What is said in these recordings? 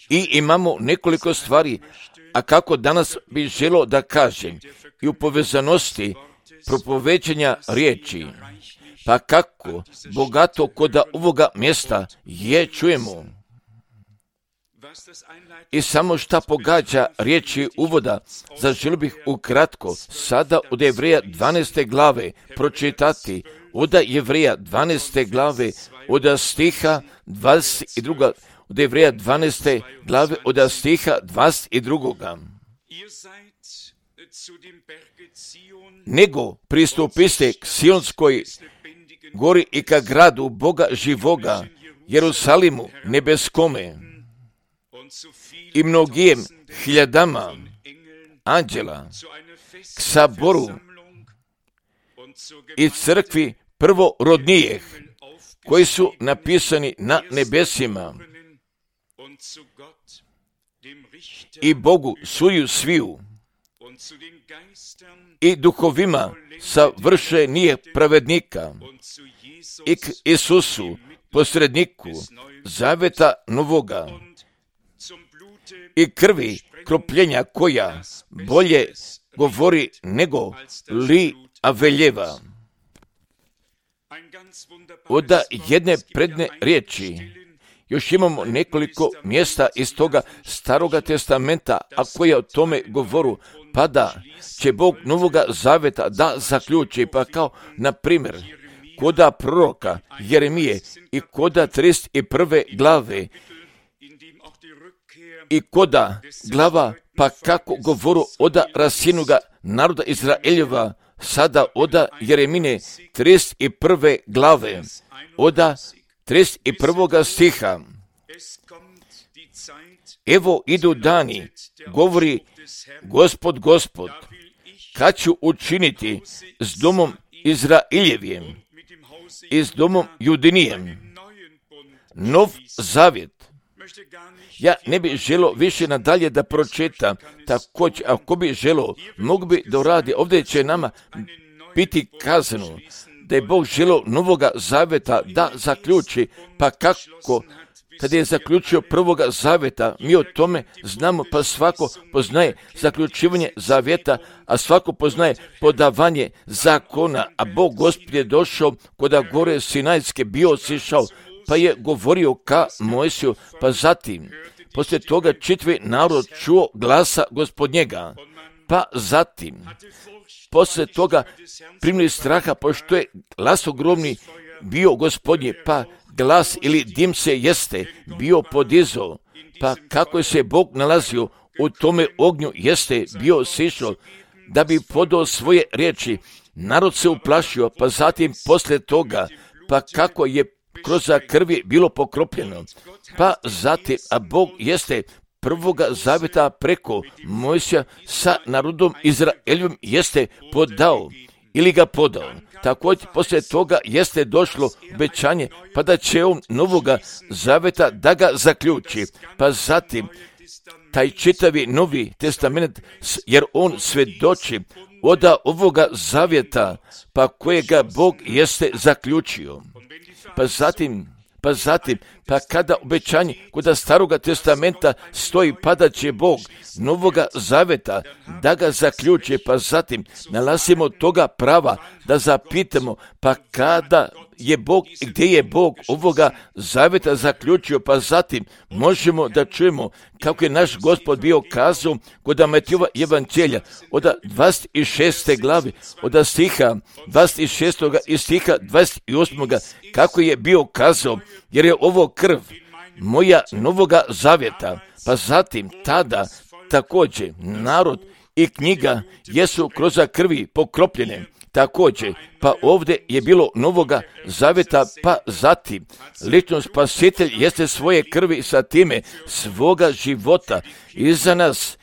I imamo nekoliko stvari, a kako danas bih želio da kažem, i u povezanosti propoveđenja riječi, pa kako bogato kod ovoga mjesta je čujemo. I samo šta pogađa riječi uvoda, zaželio bih ukratko sada od Jevreja 12. glave pročitati, od Jevreja 12. glave, od stiha 22. Od Jevreja 12. glave, od stiha 22. Nego pristupiste k Sionskoj gori i ka gradu Boga živoga, Jerusalimu nebeskome, i mnogijem hiljadama anđela, k saboru i crkvi prvorodnijih, koji su napisani na nebesima, i Bogu suju sviju, i duhovima savršenije pravednika, i k Isusu, posredniku zaveta novoga, i krvi kropljenja koja bolje govori nego li Aveljeva. Od jedne predne riječi još imamo nekoliko mjesta iz toga Staroga testamenta, a koja o tome govoru, pa da će Bog Novoga Zaveta da zaključi, pa kao na primjer koda proroka Jeremije i koda 31. glave i koda glava, pa kako govoru oda rasinuga naroda Izraeljeva, sada oda Jeremine 31. glave, oda 31. stiha. Evo idu dani, govori Gospod, kad ću učiniti s domom Izraeljevim i s domom Judinijem nov zavjet. Ja ne bih želio više nadalje da pročitam, također ako bi želio, mogu bi da uradi, ovdje će nama biti kazano da je Bog želio Novoga Zaveta da zaključi, pa kako kada je zaključio Prvoga Zaveta, mi o tome znamo, pa svako poznaje zaključivanje zavjeta, a svako poznaje podavanje zakona, a Bog Gospod je došao koda gore Sinajske, bio sišao, pa je govorio ka Mojsiju, pa zatim, poslije toga čitavi narod čuo glasa Gospodnjega, pa zatim, poslije toga primili straha, pošto je glas ogromni bio Gospodnji, pa glas ili dim se jeste bio podizao, pa kako se Bog nalazio u tome ognju jeste bio sišao, da bi podao svoje riječi, narod se uplašio, pa zatim poslije toga, pa kako je kroz krvi bilo pokropljeno, pa zatim, a Bog jeste Prvoga Zaveta preko Mojsija sa narodom Izraeljom jeste podao ili ga podao. Također poslije toga jeste došlo obećanje, pa da će on Novoga Zaveta da ga zaključi, pa zatim taj čitavi Novi Testament, jer on svjedoči od ovoga zavjeta, pa kojega Bog jeste zaključio. Pa kada obećanje kod Staroga testamenta stoji, pa da će Bog Novoga Zaveta da ga zaključi, pa zatim nalazimo toga prava da zapitamo, pa kada je Bog i gdje je Bog ovoga Zaveta zaključio, pa zatim možemo da čujemo kako je naš Gospod bio kazao kod Matejova evanđelja od 26. glavi, od stiha 26. i stiha 28. kako je bio kazao, jer je ovo krv moja Novoga Zaveta, pa zatim tada također narod i knjiga jesu kroz krvi pokropljene. Također, pa ovdje je bilo Novoga Zaveta, pa zatim lično Spasitelj jeste svoje krvi sa time svoga života i za nas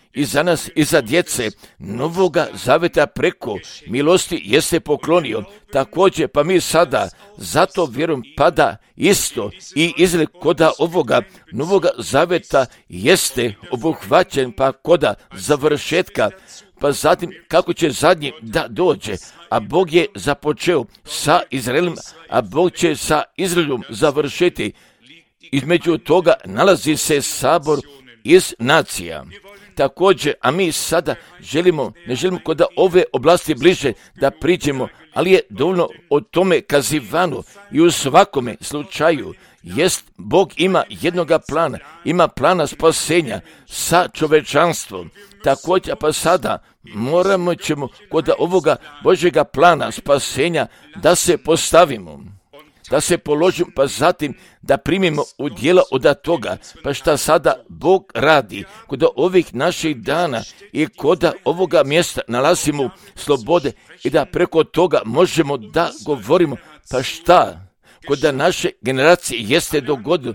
i za djece Novoga Zaveta preko milosti jeste poklonio. Također, pa mi sada zato vjerujem pada isto i izgled koda ovoga Novoga Zaveta jeste obuhvaćen, pa koda završetka, pa zatim kako će zadnji da dođe, a Bog je započeo sa Izraelom, a Bog će sa Izraelom završiti između toga nalazi se sabor iz nacija. Također, a mi sada ne želimo kod ove oblasti bliže da priđemo, ali je dovoljno o tome kazivano i u svakome slučaju jest Bog ima jednoga plana, ima plana spasenja sa čovečanstvom. Također, pa sada moramo ćemo kod ovoga Božjega plana spasenja da se postavimo, da se položimo, pa zatim da primimo u djela od toga. Pa šta sada Bog radi kod ovih naših dana i kod ovoga mjesta nalazimo slobode i da preko toga možemo da govorimo. Pa šta kod naše generacije jeste dogodilo?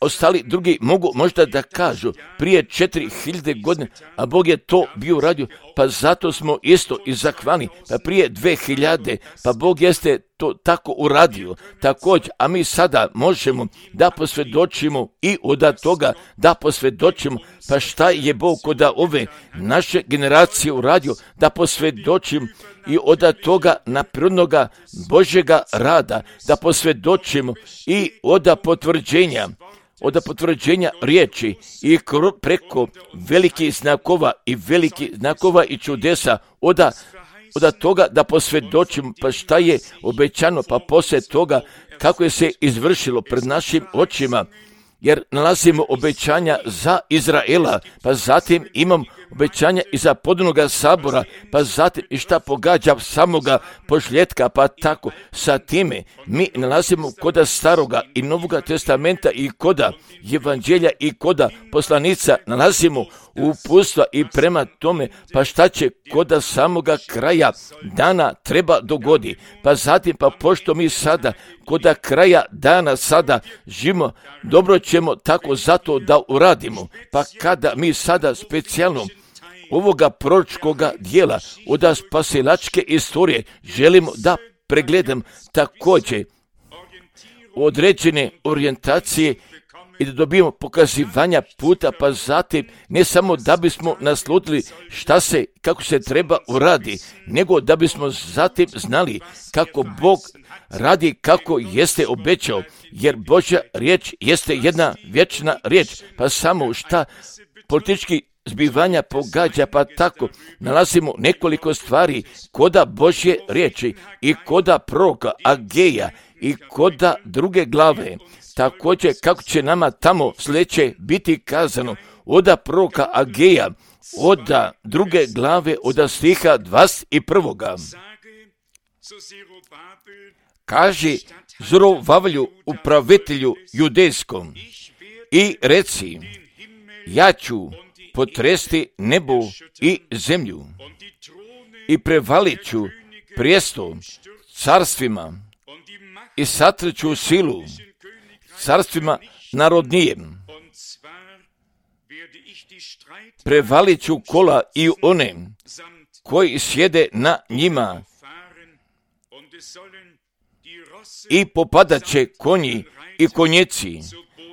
Ostali drugi mogu možda da kažu prije 4000 godina, a Bog je to bio uradio, pa zato smo isto i zahvalni. Pa prije 2000, pa Bog jeste to tako uradio. Također, a mi sada možemo da posvjedočimo i od toga da posvjedočimo, pa šta je Bog kod ove naše generacije uradio, da posvjedočimo i od toga naprirodnoga Božjega rada, da posvjedočimo i od potvrđenja riječi i preko velikih znakova i čudesa od toga da posvjedočimo, pa šta je obećano, pa poslije toga kako je se izvršilo pred našim očima, jer nalazimo obećanja za Izraela, pa zatim imam obećanja i za podnoga sabora, pa zatim i šta pogađa samoga požljetka, pa tako sa time mi nalazimo koda Staroga i Novoga testamenta i koda evanđelja i koda poslanica nalazimo uputstva i prema tome, pa šta će koda samoga kraja dana treba dogodi. Pa zatim, pa pošto mi sada koda kraja dana sada živimo, dobro ćemo tako zato da uradimo. Pa kada mi sada specijalno ovoga proročkoga dijela od spasilačke istorije želimo da pregledam također određene orijentacije i da dobijemo pokazivanja puta, pa zatim ne samo da bismo naslutili kako se treba uradi, nego da bismo zatim znali kako Bog radi, kako jeste obećao, jer Božja riječ jeste jedna vječna riječ, pa samo šta politički zbivanja pogađa, pa tako nalazimo nekoliko stvari koda Božje riječi i koda proroka Ageja i koda druge glave. Također kako će nama tamo sljedeće biti kazano od proroka Ageja, od druge glave, od stiha 21. Kaže Zorobabelu upravitelju judejskom i reci, ja ću potresti nebo i zemlju i prevalit ću prijestol carstvima i satreću silu carstvima narodnijem. Prevalit ću kola i one koji sjede na njima i popadat će konji i konjeci,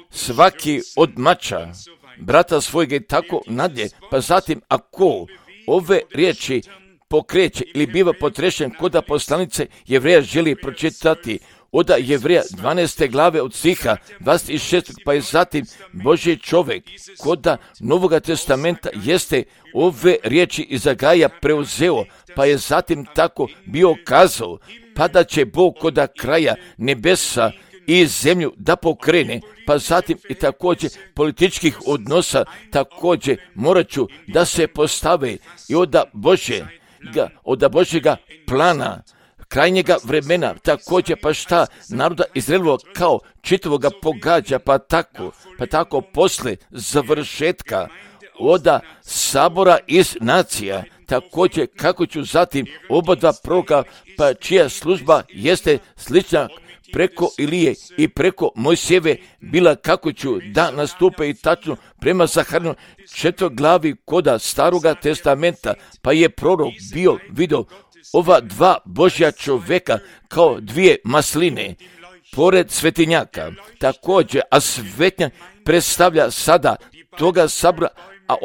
svaki od mača brata svojega i tako nadje. Pa zatim ako ove riječi pokreće ili biva potrešen koda poslanice Jevreja želi pročitati od Jevreja 12. glave od stiha 26. pa je zatim Božji čovjek koda Novoga testamenta jeste ove riječi iz Agaja preuzeo, pa je zatim tako bio kazao, pa da će Bog koda kraja nebesa i zemlju da pokrene, pa zatim i također političkih odnosa također morat ću da se postave i od Božjega plana krajnjega vremena, također pa šta naroda Izraelova kao čitavoga pogađa, pa tako posle završetka od sabora iz nacija, također kako ću zatim oba dva proroka, pa čija služba jeste slična preko Ilije i preko Mojsijeve bila, kako ću da nastupe i tačno prema Zaharinu 4. glavi koda Staroga testamenta, pa je prorok bio vidio ova dva Božja čovjeka kao dvije masline pored svetinjaka. Također, a svetinjak predstavlja sada toga sabora, a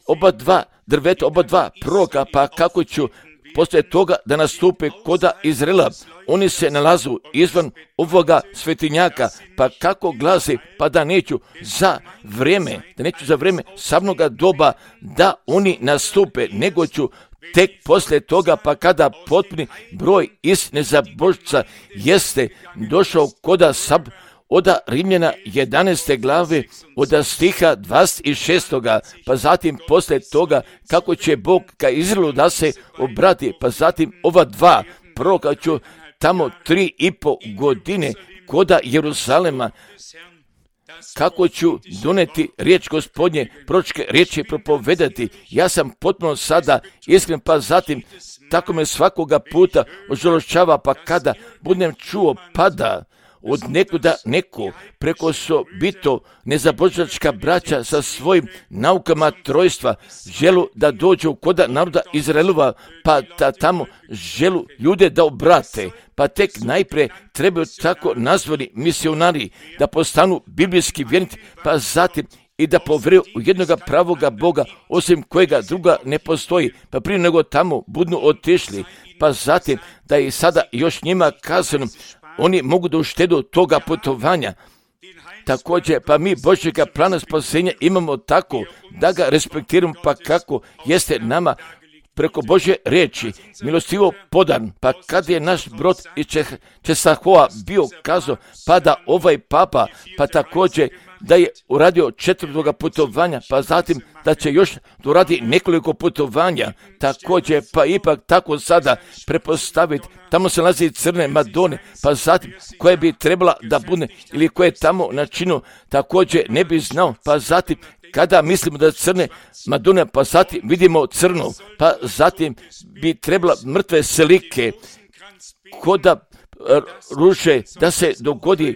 oba dva drveta, oba dva proroka, pa kako ću poslije toga da nastupe koda Izraela. Oni se nalazu izvan ovoga svetinjaka, pa kako glasi, pa da neću za vrijeme samnoga doba da oni nastupe, nego ću tek poslije toga, pa kada potpuni broj istine za Božca jeste došao koda oda Rimljana 11. glave, oda stiha 26. pa zatim poslije toga kako će Bog ka Izraelu da se obrati, pa zatim ova dva proroka ću tamo 3,5 godine koda Jeruzalema, kako ću doneti riječ Gospodnje, proročke riječi propovedati. Ja sam potpuno sada iskren, pa zatim tako me svakoga puta ožalošćava, pa kada budem čuo pada od nekuda neko preko bito nezabožačka braća sa svojim naukama trojstva želu da dođu koda naroda Izraelova, pa da tamo želu ljude da obrate, pa tek najprije trebaju tako nazvani misionari da postanu biblijski vjernici, pa zatim i da povjeruju u jednoga pravoga Boga, osim kojega druga ne postoji, pa prije nego tamo budnu otišli, pa zatim da je sada još njima kazano, oni mogu da uštedu toga putovanja. Također, pa mi Božjega plana spasenja imamo tako da ga respektiramo, pa kako jeste nama preko Božje riječi milostivo podan, pa kad je naš brod iz Česahoa bio kazao, pa da ovaj papa, pa također da je uradio 4. putovanja, pa zatim da će još doradi nekoliko putovanja, također pa ipak tako sada prepostaviti, tamo se nalazi crne Madone, pa zatim koja bi trebala da bude ili koje tamo načinu, također ne bi znao, pa zatim kada mislimo da crne Madone, pa zatim vidimo crnu, pa zatim bi trebala mrtve selike, koda ruže da se dogodi,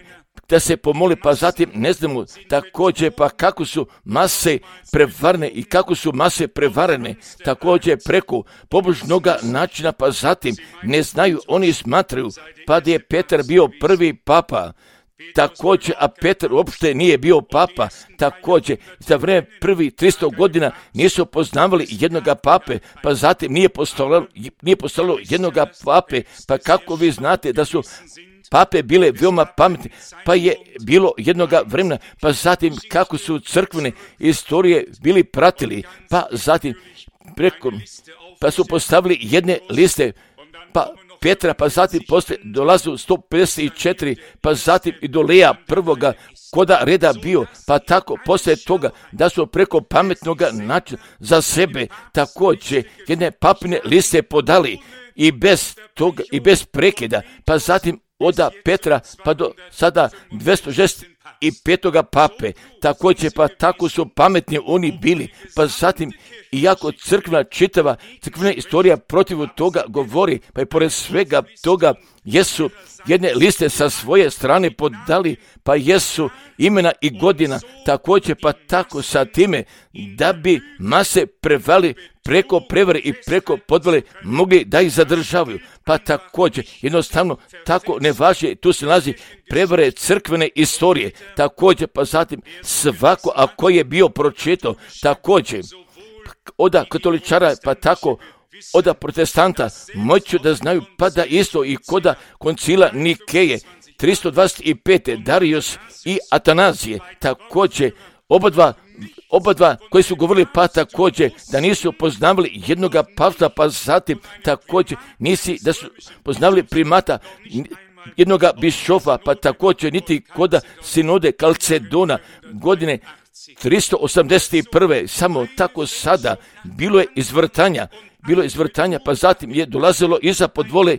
da se pomoli, pa zatim ne znamo također pa kako su mase prevarene i kako su mase prevarene također preko pobožnog načina, pa zatim ne znaju, oni smatraju pa da je Petar bio prvi papa, također, a Petar uopšte nije bio papa, također za vrijeme prvi 300 godina nisu poznavali jednoga pape, pa zatim nije postojalo jednoga pape, pa kako vi znate da su pape bile veoma pametne, pa je bilo jednoga vremena, pa zatim kako su crkvene istorije bili pratili, pa zatim pa su postavili jedne liste, pa Petra, pa zatim poslije dolazu 154, pa zatim i do Leja prvoga koda reda bio, pa tako poslije toga da su preko pametnog načina za sebe također jedne papine liste podali i bez toga i bez prekida, pa zatim oda Petra pa do sada 265. pape, također pa tako su pametni oni bili, pa zatim iako čitava crkvena istorija protiv toga govori, pa i pored svega toga jesu jedne liste sa svoje strane podali, pa jesu imena i godina, također pa tako sa time da bi mase prevali preko prevare i preko podvale mogli da ih zadržavaju, pa također jednostavno tako ne važi, tu se nalazi prevare crkvene istorije, također pa zatim svako ako je bio pročitao, također oda katoličara, pa tako oda protestanta moću da znaju, pa da isto i koda koncila Nikeje 325. Darius i Atanazije, također oba dva koji su govorili, pa također da nisu poznavali jednoga pavstva, pa zatim također da su poznavali primata jednoga bišofa, pa također niti koda sinode Kalcedona godine 381. Samo tako sada bilo je izvrtanja, pa zatim je dolazilo iza podvole,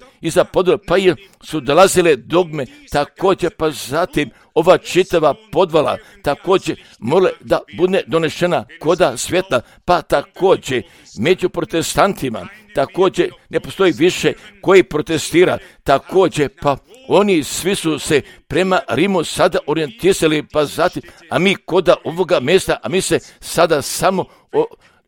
pa su dolazile dogme, također pa zatim ova čitava podvala, također mora da bude donešena koda svjetla, pa također među protestantima, također ne postoji više koji protestira, također pa oni svi su se prema Rimu sada orijentisali, pa zatim, a mi koda ovoga mjesta, a mi se sada samo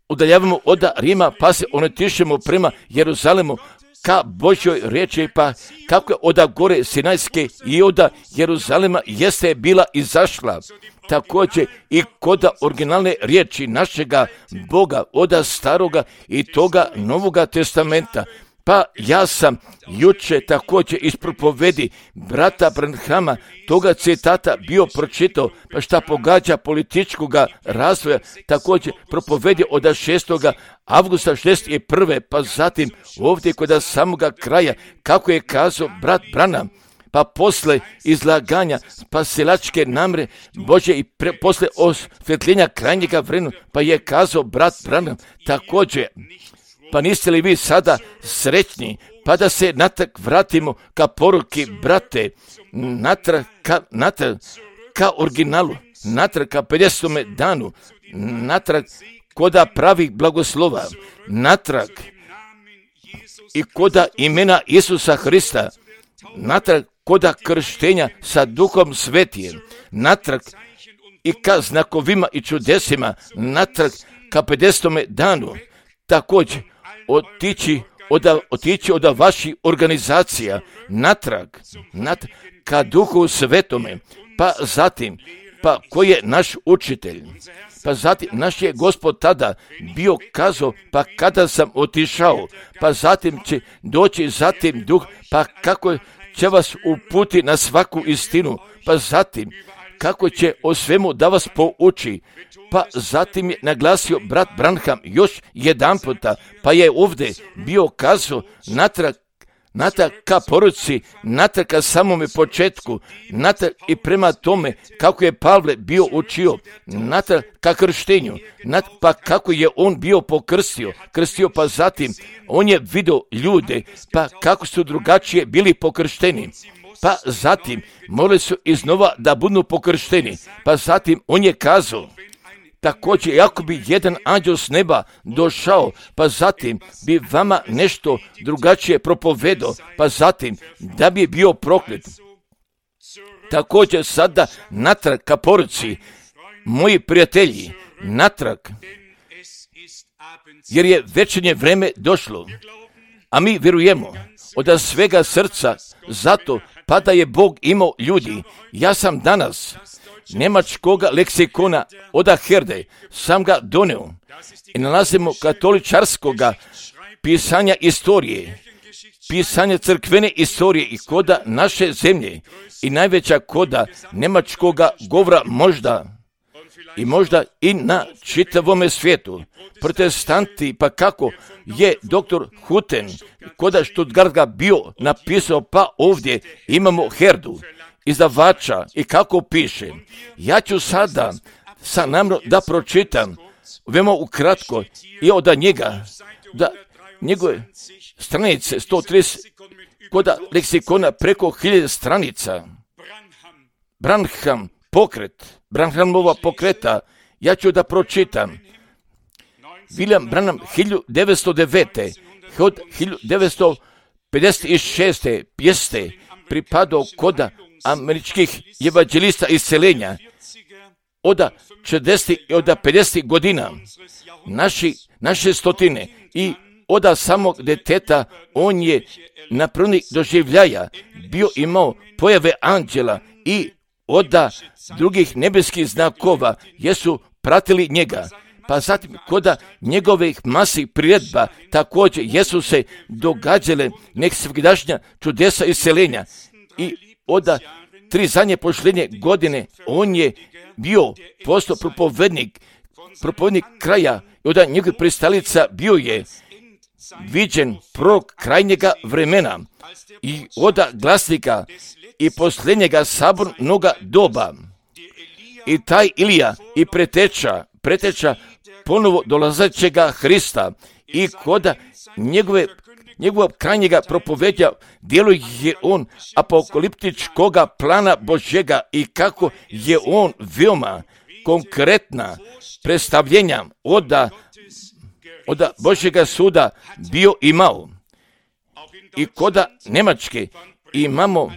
udaljavamo od Rima, pa se orientišemo prema Jeruzalemu, ka Božjoj riječi, pa kako je od gore Sinajske i od Jeruzalema jeste bila izašla. Također i kod originalne riječi našega Boga, od staroga i toga Novoga testamenta, Pa ja sam juče također iz propovedi brata Branhama toga citata bio pročitao, pa šta pogađa političkog razvoja, također propovedi od 6. avgusta 61. pa zatim ovdje kod samoga kraja, kako je kazao brat Branham, pa posle izlaganja spasilačke namre Bože i posle osvjetljenja krajnjega vremena, pa je kazao brat Branham također, pa niste li vi sada srećni, pa da se natrag vratimo ka poruki, brate, natrag ka originalu, natrag ka 50. danu, natrag koda pravih blagoslova, natrag i koda imena Isusa Hrista, natrag koda krštenja sa Duhom Svetijem, natrag i ka znakovima i čudesima, natrag ka 50. danu, također otići od vaših organizacija, natrag ka Duhu Svetome, pa zatim, pa ko je naš učitelj, pa zatim naš je Gospod tada bio kazao, pa kada sam otišao, pa zatim će doći zatim Duh, pa kako će vas uputi na svaku istinu, pa zatim kako će o svemu da vas pouči, pa zatim je naglasio brat Branham još jedan puta, pa je ovdje bio kazao natrag ka poruci, natrag ka samome početku, natrag i prema tome kako je Pavle bio učio, natrag ka krštenju, pa kako je on bio krstio, pa zatim on je vidio ljude, pa kako su drugačije bili pokršteni, pa zatim morali su iznova da budu pokršteni, pa zatim on je kazao, također, ako bi jedan anđel s neba došao, pa zatim bi vama nešto drugačije propovedao, pa zatim da bi bio proklet. Također sada natrag ka poruci, moji prijatelji, natrag, jer je večernje vreme došlo, a mi vjerujemo od svega srca, zato pa da je Bog imao ljudi. Ja sam danas njemačkoga leksikona od Herde, sam ga doneo i nalazimo katoličarskoga pisanja istorije, pisanja crkvene istorije i koda naše zemlje i najveća koda njemačkoga govora možda i na čitavome svijetu. Protestanti, pa kako je doktor Huten koda Stuttgarta bio napisao, pa ovdje imamo Herdu, izdavača, i kako piše. Ja ću sada sa namro da pročitam veoma ukratko i od njega, da njegove stranice 130 koda leksikona preko 1000 stranica. Branhamova pokreta, ja ću da pročitam. William Branham 1909. od 1956. jeste pripadao koda američkih evanđelista isceljenja od 40 i od 50 godina naše stotine i od samog deteta on je na prvnih doživljaja bio imao pojave anđela i od drugih nebeskih znakova jesu pratili njega. Pa zatim koda njegovih masih priredba također jesu se događale nek svegdašnja čudesa isceljenja i od 3 zadnje posljednje godine on je bio postao propovednik kraja i od njegovih pristalica bio je viđen prorok krajnjega vremena i od glasnika i posljednjega sabornoga doba. I taj Ilija i preteča ponovo dolazećega Hrista i koda njegovog krajnjega propovedja djeluje on apokaliptičkoga plana Božjega i kako je on veoma konkretna predstavljenja od Božjega suda bio imao. I koda Njemačke imamo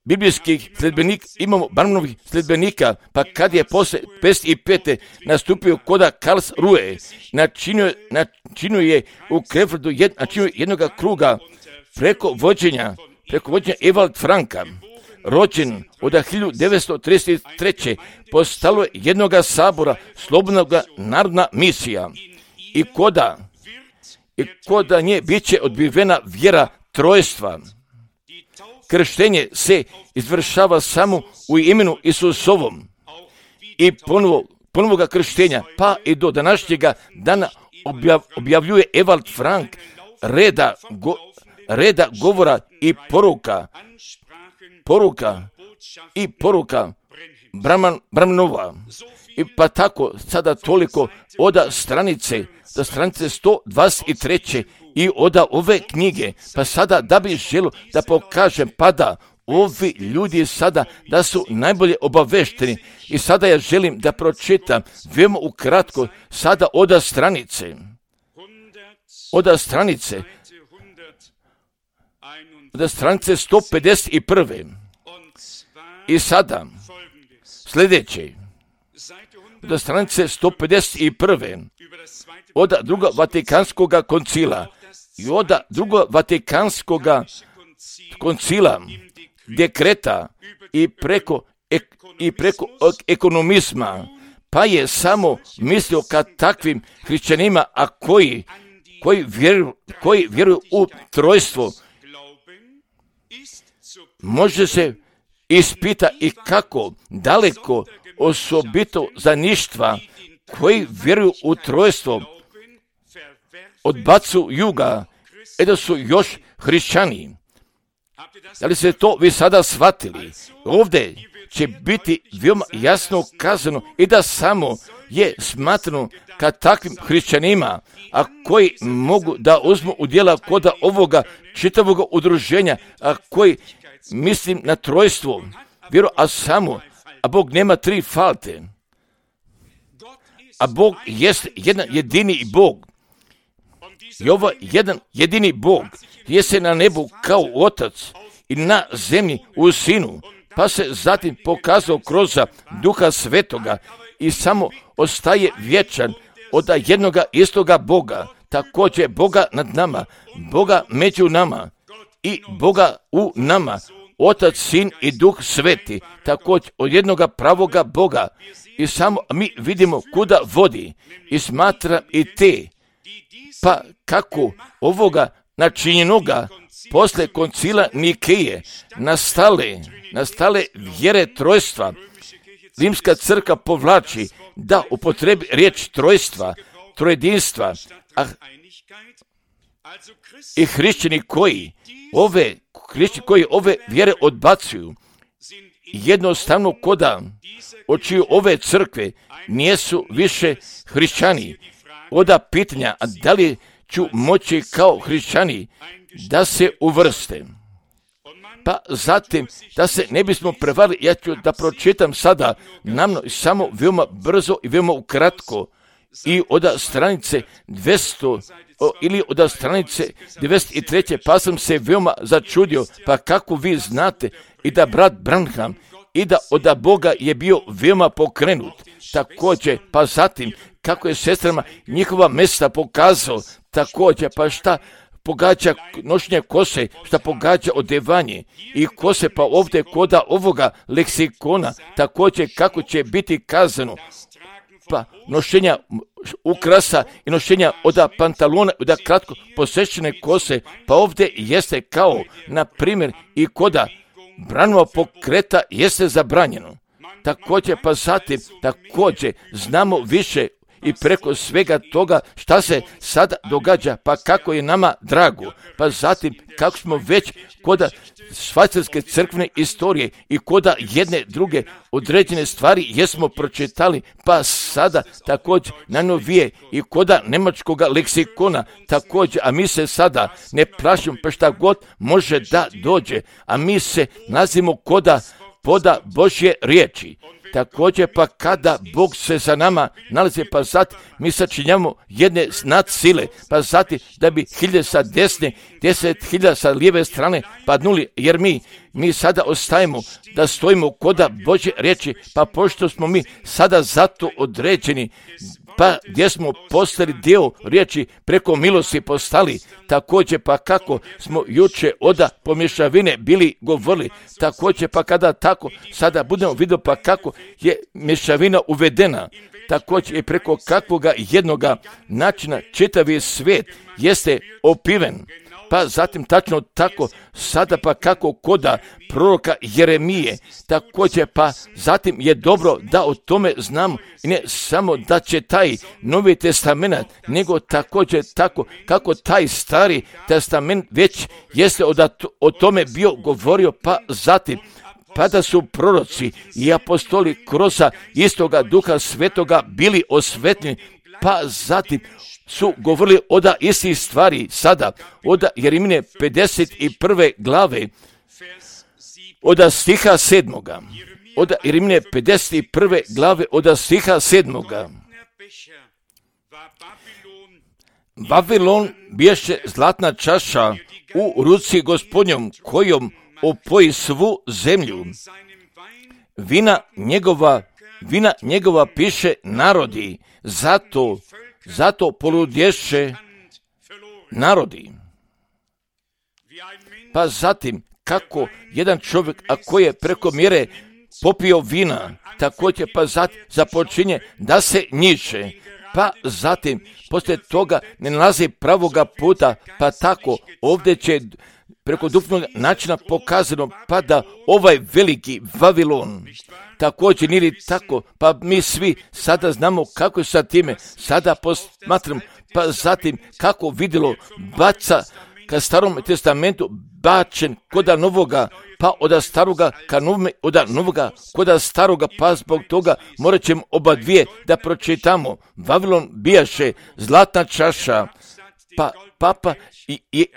biblijskih sljedbenika, imamo Branhamovih sljedbenika, pa kad je posle 55. nastupio koda Karlsruhe, načinio je u Krefeldu jednoga kruga preko vođenja Ewald Franka, rođen od 1933. postalo je jednoga sabora slobodnoga narodna misija i i kod nje bit će odbivena vjera trojstva. Krštenje se izvršava samo u imenu Isusovom i ponovoga krštenja, pa i do današnjega dana objavljuje Ewald Frank reda govora i poruka Bramnova. I pa tako sada toliko od stranice 123. i od ove knjige, pa sada da bi želio da pokažem, pa da ovi ljudi sada da su najbolje obavešteni i sada ja želim da pročitam veoma ukratko sada od stranice 151. I sada sljedeće, od stranice 151. od drugog Vatikanskog koncila i od drugog Vatikanskog koncila dekreta i preko ekonomizma, pa je samo mislio ka takvim hrišćanima, a koji vjeruju u trojstvo, može se ispita i kako daleko osobito za ništva koji vjeruju u trojstvo odbacuju ga, da su još hrišćani. Da li ste to vi sada shvatili? Ovdje će biti veoma jasno kazano i da samo je smatrano ka takvim hrišćanima, a koji mogu da uzmu udjela kod ovoga čitavog udruženja, a koji mislim na trojstvo, a Bog nema tri falte, a Bog jest jedan jedini Bog. I ovo jedan jedini Bog je se na nebu kao Otac i na zemlji u Sinu, pa se zatim pokazao kroz Duha Svetoga i samo ostaje vječan od jednoga istoga Boga, također Boga nad nama, Boga među nama i Boga u nama, Otac, Sin i Duh Sveti, također od jednoga pravoga Boga. I samo mi vidimo kuda vodi i smatra i te, pa kako ovoga načinjenoga posle koncila Nikeje nastale vjere trojstva, Rimska crkva povlači da upotrebi riječ trojstva, trojedinstva, i hrišćani koji ove vjere odbacuju, jednostavno koda očiju ove crkve nijesu više hrišćani. Oda pitanja, da li ću moći kao hrišćani da se uvrste. Pa zatim, da se ne bismo prevarili, ja ću da pročitam sada namno samo veoma brzo i veoma ukratko i od stranice 200 ili od stranice 93. pa sam se veoma začudio, pa kako vi znate i da brat Branham i da od Boga je bio veoma pokrenut. Također, pa zatim, kako je sestrama njihova mesta pokazao, također, pa šta pogađa nošenje kose, šta pogađa odevanje i kose, pa ovdje koda ovoga leksikona, također kako će biti kazano, pa nošenja ukrasa i nošenja od pantalona, od kratko posečene kose, pa ovdje jeste kao, na primjer, i koda Branova pokreta jeste zabranjeno. Također, pa zatim, također znamo više i preko svega toga šta se sada događa, pa kako je nama drago, pa zatim kako smo već koda švajcarske crkvene istorije i koda jedne druge određene stvari jesmo pročitali, pa sada također najnovije i koda njemačkog leksikona također, a mi se sada ne plašimo pa šta god može da dođe, a mi se nalazimo koda poda Božje riječi. Također, pa kada Bog se za nama nalazi, pa zatim mi sačinjamo jedne nadsile, pa zatim da bi 1000 sa desne, 10.000 sa lijeve strane padnuli, jer mi sada ostajemo da stojimo koda Božje riječi, pa pošto smo mi sada zato određeni pa gdje smo postali dio riječi preko milosti postali, također pa kako smo juče oda pomješavine bili govorili, također pa kada tako sada budemo vidjeti pa kako je mješavina uvedena, također i preko kakvoga jednoga načina čitavi svijet jeste opiven. Pa zatim tačno tako, sada pa kako koda proroka Jeremije, također pa zatim je dobro da o tome znamo i ne samo da će taj Novi Testament, nego također tako kako taj Stari Testament već jeste o tome bio govorio, pa zatim pa da su proroci i apostoli kroz istoga Duha Svetoga bili osvetljeni, pa zatim su govorili od istih stvari sada, od Jeremije 51. glave, od stiha 7. Od Jeremije 51. glave, od stiha 7. Vavilon biješe zlatna čaša u ruci Gospodnjom, kojom opoji svu zemlju. Vina njegova piše narodi, zato poludješe narodi. Pa zatim, kako jedan čovjek, ako je preko mjere popio vina, također pa zatim započinje da se njiče, pa zatim poslije toga ne nalazi pravoga puta, pa tako ovdje će preko duhovnog načina pokazano, pa da ovaj veliki Vavilon također nije tako, pa mi svi sada znamo kako je sa time, sada posmatram, pa zatim kako vidjelo baca ka Starom Testamentu bačen koda novoga, pa od staroga ka novome, od novoga koda staroga, pa zbog toga morat ćemo oba dvije da pročitamo. Vavilon bijaše zlatna čaša, pa papa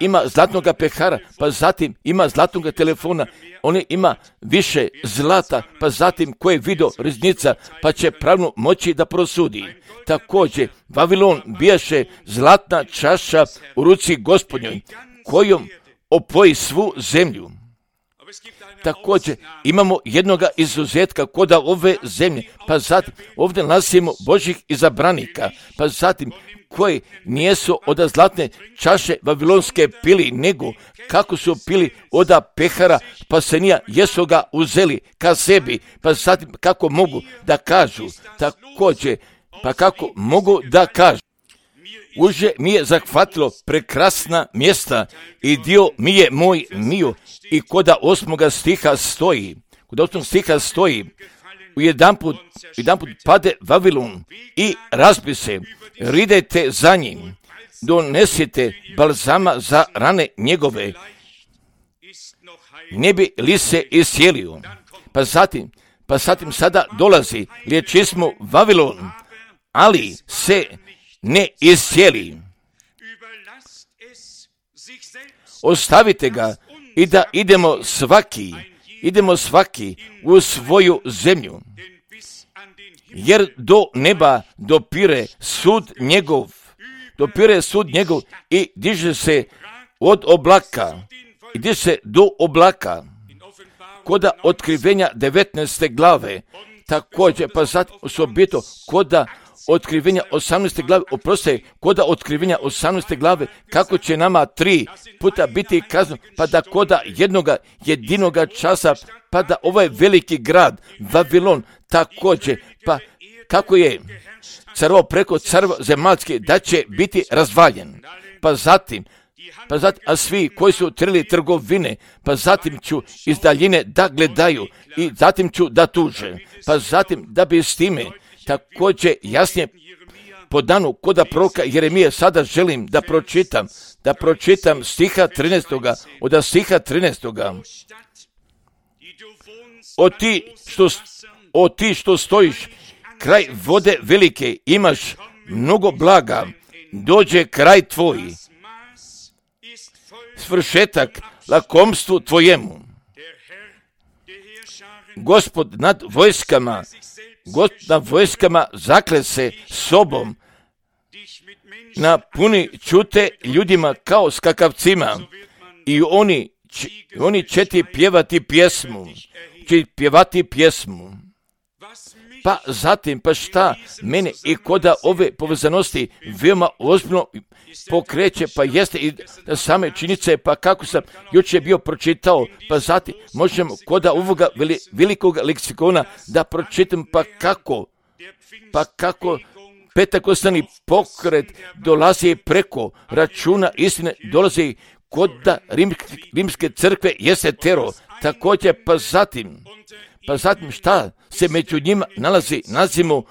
ima zlatnoga pehara, pa zatim ima zlatnoga telefona, on ima više zlata, pa zatim koje video riznica, pa će pravno moći da prosudi. Također, Vavilon bijaše zlatna čaša u ruci Gospodnjoj, kojom opoji svu zemlju. Također, imamo jednoga izuzetka koda ove zemlje, pa zatim ovdje nalazimo Božjih izabranika, pa zatim koji nijesu od zlatne čaše vavilonske pili, nego kako su pili od pehara, pa se nije jesu ga uzeli ka sebi, pa zatim kako mogu da kažu, također, pa kako mogu da kažu. Uže mi je zahvatilo prekrasna mjesta i dio mi je moj mio i koda 8. stiha stoji, jedanput pade Vavilon i razbi se, ridajte za njim, donesite balzama za rane njegove, ne bi li se iscijelio. Pa zatim sada dolazi, liječismo Vavilon, ali se ne iscijeli. Ostavite ga i da idemo svaki u svoju zemlju, jer do neba dopire sud njegov i diže se od oblaka, i diže se do oblaka. Koda otkrivenja 19. glave, također, pa zatim osobito koda otkrivenja 18. glave, koda otkrivenja 18. glave, kako će nama 3 puta biti kazno, pa da koda jedinoga časa, pa da ovaj veliki grad, Vavilon, također, pa kako je carvo preko carva zemaljske, da će biti razvaljen. Pa zatim, a svi koji su trili trgovine, pa zatim ću iz daljine da gledaju i zatim ću da tuže, pa zatim da bi s time također jasnije po danu koda proroka Jeremije sada želim da pročitam stiha 13. od stiha 13. O ti što stojiš kraj vode velike, imaš mnogo blaga, dođe kraj tvoj, svršetak lakomstvu tvojemu. Gospod nad vojskama zakle se sobom, napuni čute ljudima kao skakavcima i oni će ti pjevati pjesmu. Pa zatim, pa šta mene i koda ove povezanosti veoma ozbiljno pokreće, pa jeste i same činjenice, pa kako sam jučer bio pročitao, pa zatim možemo koda ovoga velikog leksikona da pročitam, pa kako Pentekostani pokret dolazi preko računa istine, dolazi kod rimske crkve jeste tero. Također, pa zatim šta se među njima nalazi, nazivamo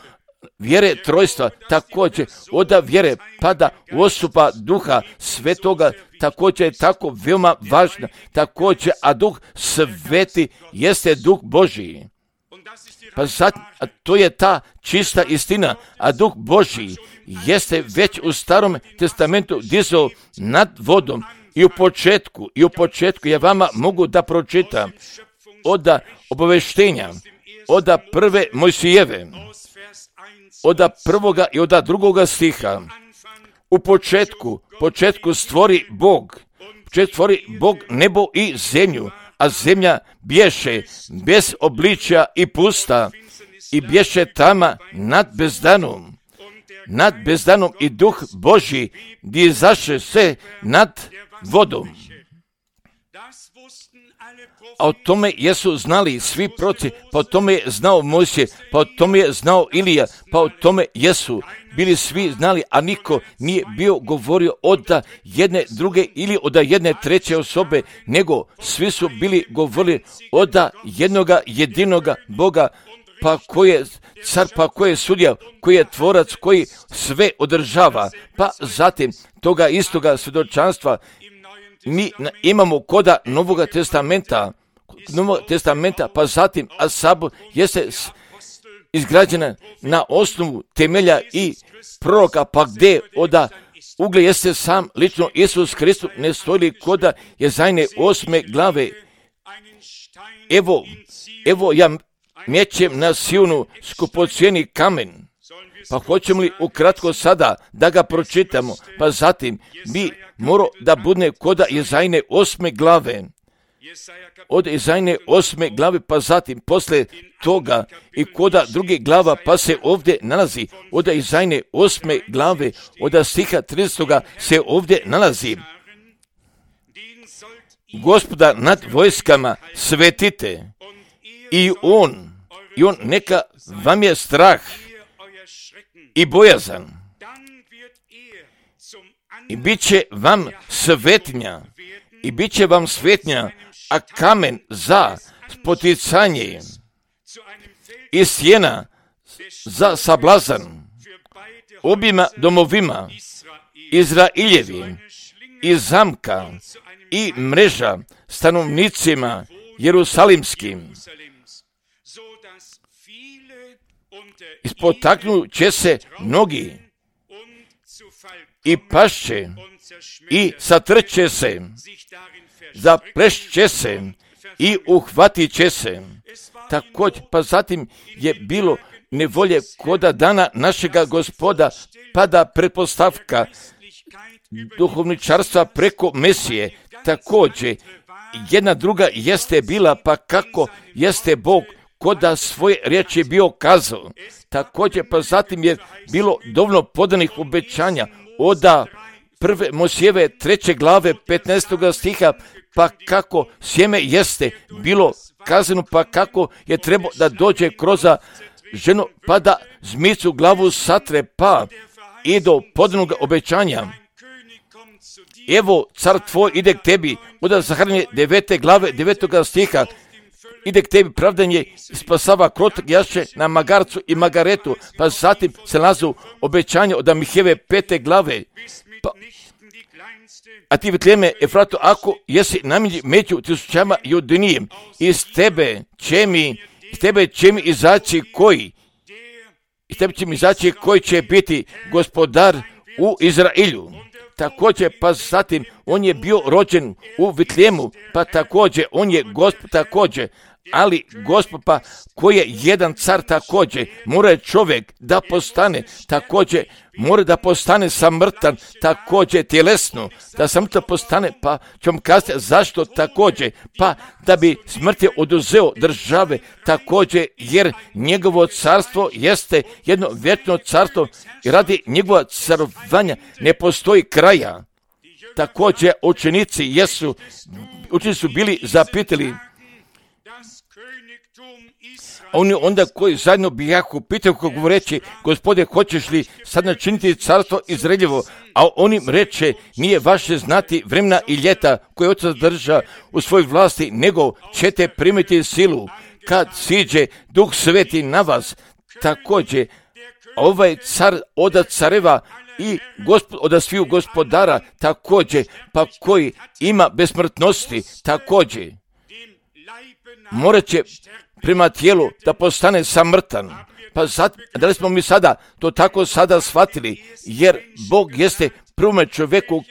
vjere trojstva, također od vjere pada osoba Duha Svetoga, također je tako veoma važna, također, a Duh Sveti jeste Duh Božiji. Pa zatim, a to je ta čista istina, a Duh Božji jeste već u Starom testamentu dizao nad vodom i u početku ja vama mogu da pročitam od obaveštenja, od prve Mojsijeve, od prvoga i od drugoga stiha. U početku stvori Bog nebo i zemlju, a zemlja bješe bez obličja i pusta i bješe tama nad bezdanom i Duh Božji izaše se nad vodom. A o tome jesu znali svi proroci, pa o tome je znao Mojsije, pa o tome je znao Ilija, pa o tome jesu bili svi znali, a niko nije bio govorio od jedne druge ili od jedne treće osobe, nego svi su bili govorili od jednoga jedinoga Boga, pa koji je car, pa koji je sudija, koji je tvorac, koji sve održava. Pa zatim toga istoga svjedočanstva mi imamo koda Novoga testamenta, pa zatim, a sabor jeste izgrađena na osnovu temelja i proroka, pa gdje od ugle jeste sam lično Isus Kristus, ne stoji koda Jezajne 8. glave. Evo ja mečem na Sionu skupocijeni kamen. Pa hoćemo li ukratko sada da ga pročitamo, pa zatim bi morao da bude koda Jezajne 8. glave. Od Jezajne 8. glave, pa zatim posle toga i koda druge glava, pa se ovdje nalazi od Jezajne 8. glave, od stiha 30. se ovdje nalazi: Gospoda nad vojskama svetite i on neka vam je strah i bojazan i bit će vam svetnja, a kamen za spoticanje i sjena za sablazan obima domovima Izraeljevim i zamka i mreža stanovnicima Jerusalimskim. Ispotaknut će se mnogi i pašće i satrće se, zaplešće se i uhvatit će se. Također, pa zatim je bilo nevolje koda dana našega Gospoda, pada pretpostavka duhovničarstva preko Mesije. Također, jedna druga jeste bila, pa kako jeste Bog koda svoje riječi bio kazao. Također, pa zatim je bilo dovoljno podanih obećanja od prve Mojsijeve 3. glave 15. stiha, pa kako sjeme jeste bilo kazano, pa kako je trebao da dođe kroz ženu, pa da zmicu glavu satre, pa i do podanog obećanja. Evo, car tvoj ide k tebi, od Zaharije 9. glave 9. stiha, ide k tebi pravdanje, spasava krotak jaše na magarcu i magaretu, pa zatim se nalazu obećanje od Mihejeve 5. glave. A ti Betlejeme Efrato, ako jesi namilji među tisućama Judinijem, iz tebe će mi izaći koji će biti gospodar u Izraelju. Također, pa zatim on je bio rođen u Betlejemu, pa također on je Gospod također, Ali Gospod pa koji je jedan car također, mora čovjek da postane također, mora da postane samrtan također tjelesno, da samrtan postane, pa ću vam kazati zašto također, pa da bi smrt je oduzeo države također, jer njegovo carstvo jeste jedno vječno carstvo i radi njegova carovanja ne postoji kraja. Također učenici su bili zapitali, oni onda koji zajedno bijahu pitaju kako govoreći, Gospode, hoćeš li sad načiniti carstvo Izraeljevo? A on im reče, nije vaše znati vremena i ljeta koje otac drža u svojoj vlasti, nego ćete primiti silu kad siđe Duh Sveti na vas. Također, ovaj car od careva i od sviju gospodara također, pa koji ima besmrtnosti također, morat će prema tijelu da postane samrtan. Pa da li smo mi sada to tako sada shvatili, jer Bog jeste prvome čovjeku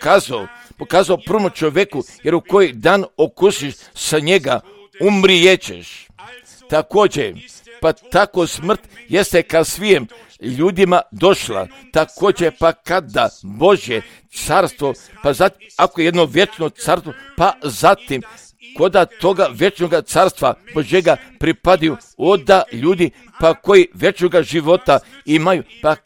pokazao prvome čovjeku, jer u koji dan okusiš sa njega, umrijećeš. Također, pa tako smrt jeste ka svijem ljudima došla. Također, pa kada Božje carstvo, pa zatim, ako je jedno vječno carstvo, pa zatim, koda toga vječnog carstva Božjega pripadaju oda ljudi, pa koji vječnog života imaju, pa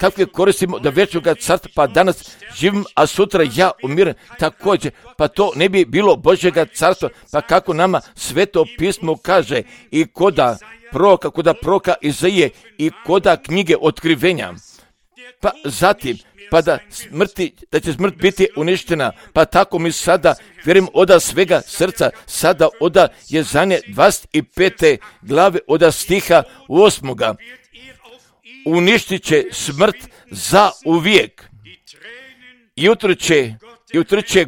kako je koristimo da vječnog carstva, pa danas živim, a sutra ja umiram, također, pa to ne bi bilo Božjega carstva, pa kako nama Sveto pismo kaže i koda proroka Izaije i koda knjige otkrivenja, pa zatim, pa da će smrt biti uništena, pa tako mi sada vjerujem oda svega srca, sada oda Jezanje 25. glave oda stiha 8. Uništit će smrt za uvijek. I utrče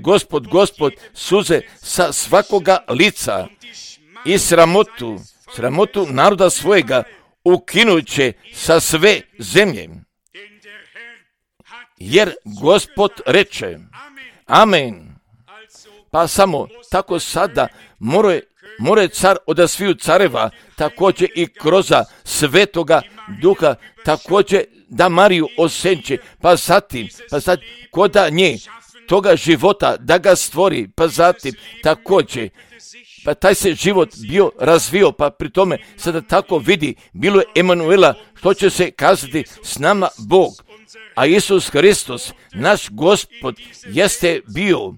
Gospod suze sa svakoga lica i sramotu naroda svojega ukinut će sa sve zemlje. Jer Gospod reče, amen. Pa samo tako sada more car od sviju careva, također i kroz Svetoga Duha, također da Mariju osenče, pa zatim koda nje toga života da ga stvori, pa zatim također, pa taj se život bio razvio, pa pri tome sada tako vidi, bilo je Emanuela, što će se kazati s nama Bog. A Isus Hristos, naš Gospod, jeste bio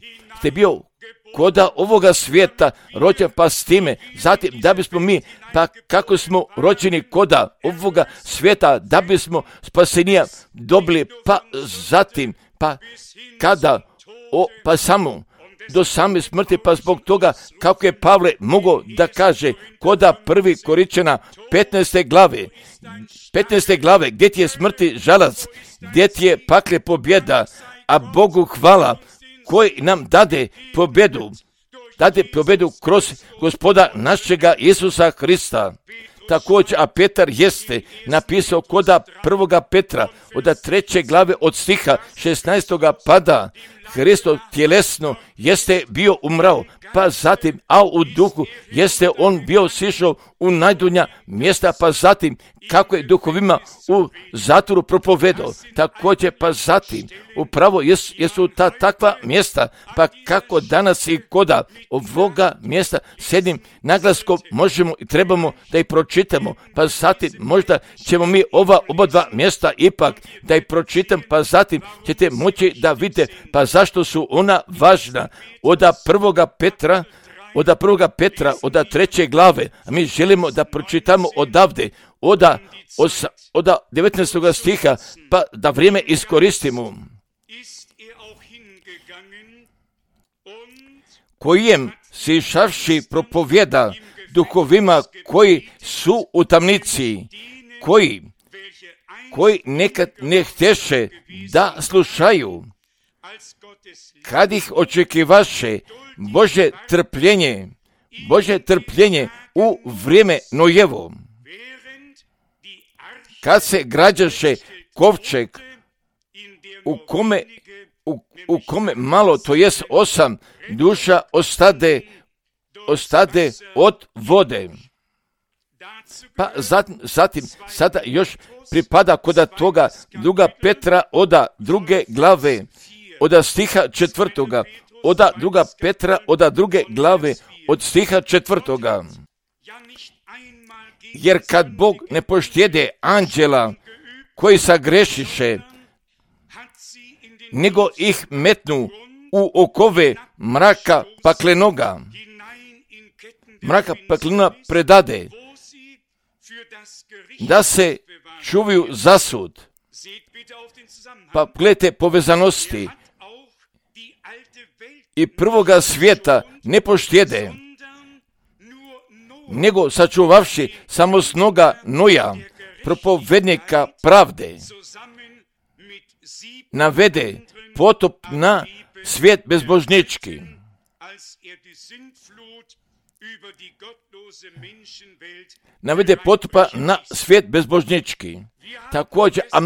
koda ovoga svijeta rođen, pa s time, zatim da bismo mi, pa kako smo rođeni koda ovoga svijeta, da bismo spasenija dobili, pa zatim, pa kada, pa samo do same smrti, pa zbog toga kako je Pavle mogao da kaže koda 1. Korinćana 15. glave, gdje ti je smrti žalac, gdje ti je pakle pobjeda, a Bogu hvala koji nam dade pobjedu kroz Gospoda našega Isusa Hrista. Također, a Petar jeste napisao koda 1. Petra od 3. glave od stiha 16. pada Hristo tjelesno jeste bio umrao, pa zatim, a u duhu jeste on bio sišao u najdunja mjesta, pa zatim kako je duhovima u zatvoru propovedao, također pa zatim upravo jesu ta takva mjesta, pa kako danas i koda ovoga mjesta s jednim naglaskom možemo i trebamo da ih pročitamo, pa zatim možda ćemo mi oba dva mjesta ipak da ih pročitam, pa zatim ćete moći da vidite pa zašto su ona važna. Od 1. Petra, od 3. glave, a mi želimo da pročitamo odavde, od 19. stiha, pa da vrijeme iskoristimo. Kojem se išavši propovjeda duhovima koji su u tamnici, koji nekad ne htješe da slušaju, kad ih očekivaše Bože trpljenje u vrijeme Nojevo, kad se građaše kovčeg u kome malo, to jest 8 duša ostade od vode. Pa zatim sada još pripada kod toga druga Petra oda druge glave, od stiha 4. Oda druga Petra oda druge glave, od stiha 4. Jer kad Bog ne poštede anđela koji sagrešiše, nego ih metnu u okove mraka paklenoga, mraka paklenoga predade, da se čuvaju za sud. Pa gledajte povezanosti. I prvoga svijeta ne poštede, nego sačuvavši samosnoga Noja, propovednika pravde, navede potop na svijet bezbožnički. Navede potupa na svijet bezbožnički. Također, a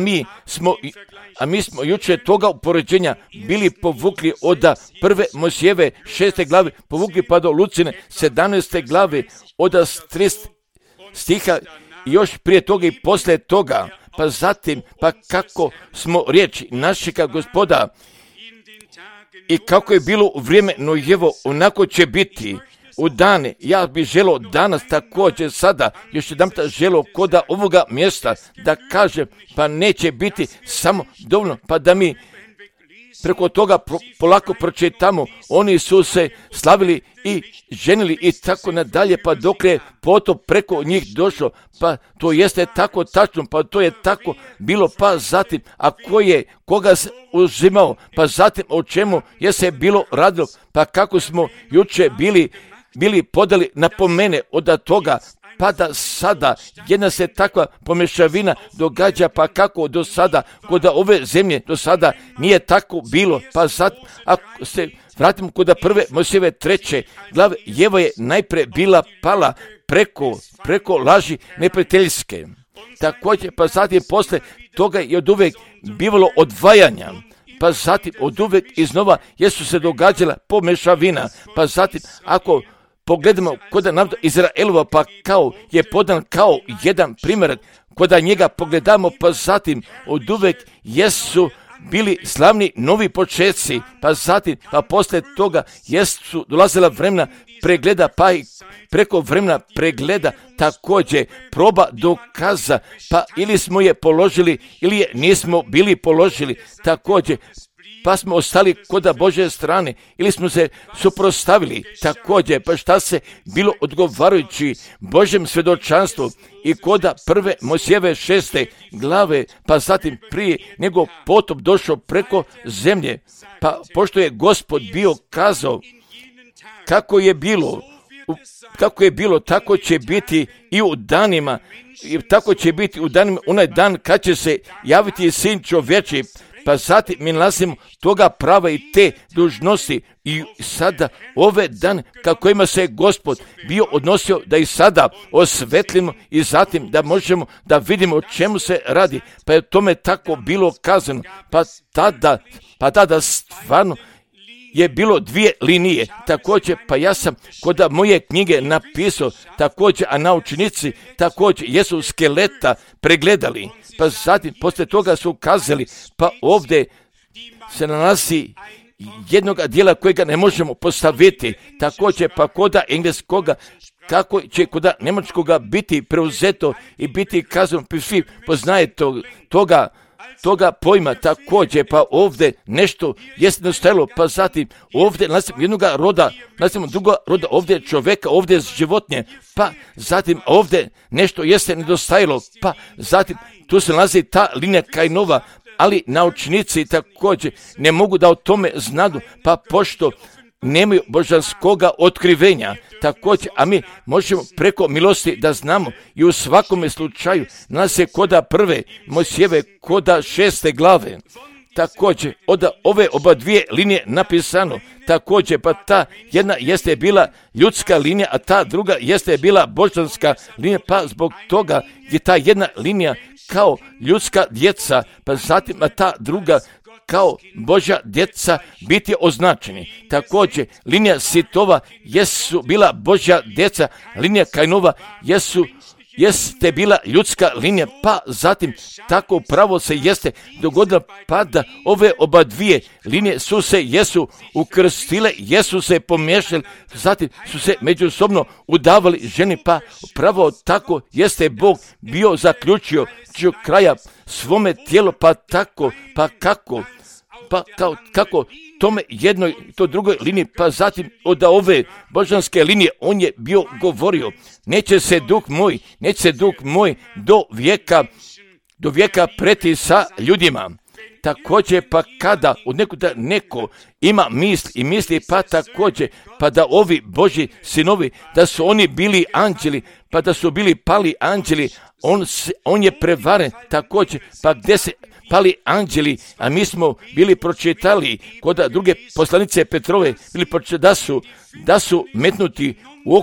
mi smo jučer toga upoređenja bili povukli od prve Mojsijeve 6. glave, povukli pa do Lucine 17. glave, od 30 stiha, još prije toga i poslije toga, pa zatim, pa kako smo riječi našega Gospoda i kako je bilo u vrijeme Nojevo, onako će biti u dane. Ja bih želio danas također sada, još jedan želio kod ovoga mjesta da kažem, pa neće biti samo dovoljno, pa da mi preko toga polako pročitamo. Oni su se slavili i ženili i tako nadalje, pa dok je potop preko njih došlo, pa to jeste tako tačno, pa to je tako bilo, pa zatim, a koga se uzimao, pa zatim o čemu je se bilo radilo, pa kako smo juče bili podali napomene od toga, pa da sada jedna se takva pomešavina događa, pa kako do sada kod ove zemlje do sada nije tako bilo, pa sad ako se vratimo kod prve Mojsijeve 3. glave, Jeva je najprije bila pala preko laži neprijateljske. Također, pa zatim posle toga je od uvijek bivalo odvajanja, pa zatim od uvijek iznova jesu se događala pomešavina, pa zatim ako pogledamo kod naroda Izraelova, pa kao je podan kao jedan primjer, kod njega pogledamo, pa zatim od uvijek jesu bili slavni novi početci, pa zatim, pa poslije toga jesu dolazila vremena pregleda, pa i preko vremena pregleda također proba dokaza, pa ili smo je položili ili je nismo bili položili, također pa smo ostali kod Božje strane ili smo se suprotstavili, također pa šta se bilo odgovarajući Božjem svjedočanstvu i kod prve Mojsijeve 6. glave, pa zatim prije nego potop došao preko zemlje, pa pošto je Gospod bio kazao kako je bilo, tako će biti i u danima, tako će biti u danima, onaj dan kad će se javiti Sin čovječji. Pa zatim mi nalazimo toga prava i te dužnosti i sada ove dane kako ima se Gospod bio odnosio da i sada osvetlimo i zatim da možemo da vidimo o čemu se radi. Pa je tome tako bilo kazano. Pa tada stvarno je bilo dvije linije. Također, pa ja sam kod moje knjige napisao također, a naučnici također jesu skeleta pregledali. Pa zatim, poslije toga su ukazali, pa ovdje se nalazi jednog dijela kojega ne možemo postaviti. Također, pa kod engleskoga, kako će kod njemačkoga biti preuzeto i biti kazano, svi poznaje toga pojma također, pa ovdje nešto jest nedostajalo, pa zatim ovdje nalazimo jednoga roda, nalazimo druga roda, ovdje čovjeka, ovdje životinje, pa zatim ovdje nešto jeste nedostajalo, pa zatim tu se nalazi ta linija Kainova, ali naučnici također ne mogu da o tome znadu, pa pošto nemaju božanskoga otkrivenja, također, a mi možemo preko milosti da znamo i u svakome slučaju nas se koda prve Mojsijeve koda 6. glave, također od ove oba dvije linije napisano, također pa ta jedna jeste bila ljudska linija, a ta druga jeste bila božanska linija, pa zbog toga je ta jedna linija kao ljudska djeca, pa zatim a ta druga kao Božja djeca biti označeni. Također, linija Sitova jesu bila Božja djeca, linija Kainova jesu jeste bila ljudska linija, pa zatim tako pravo se jeste dogodilo, pa da ove oba dvije linije jesu ukrstile, jesu se pomiješali, zatim su se međusobno udavali ženi, pa pravo tako jeste Bog bio zaključio kraja svome tijelu, pa tako, pa kako tome jednoj, to drugoj liniji, pa zatim od ove božanske linije on je bio govorio, neće se duh moj do vijeka preti sa ljudima. Također, pa kada od nekuda neko ima misli, pa također, pa da ovi Božji sinovi, da su oni bili anđeli, pa da su bili pali anđeli, on je prevaren također, pa gdje se pali anđeli, a mi smo bili pročitali kod druge poslanice Petrove, bili pročitali da su metnuti u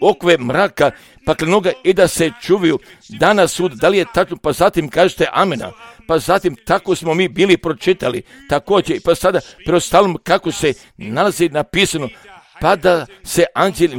okove mraka, paklenoga i da se čuvaju dana sud. Da li je tačno? Pa zatim kažete amena. Pa zatim tako smo mi bili pročitali također, pa sada preostalom kako se nalazi napisano, pa da se anđeli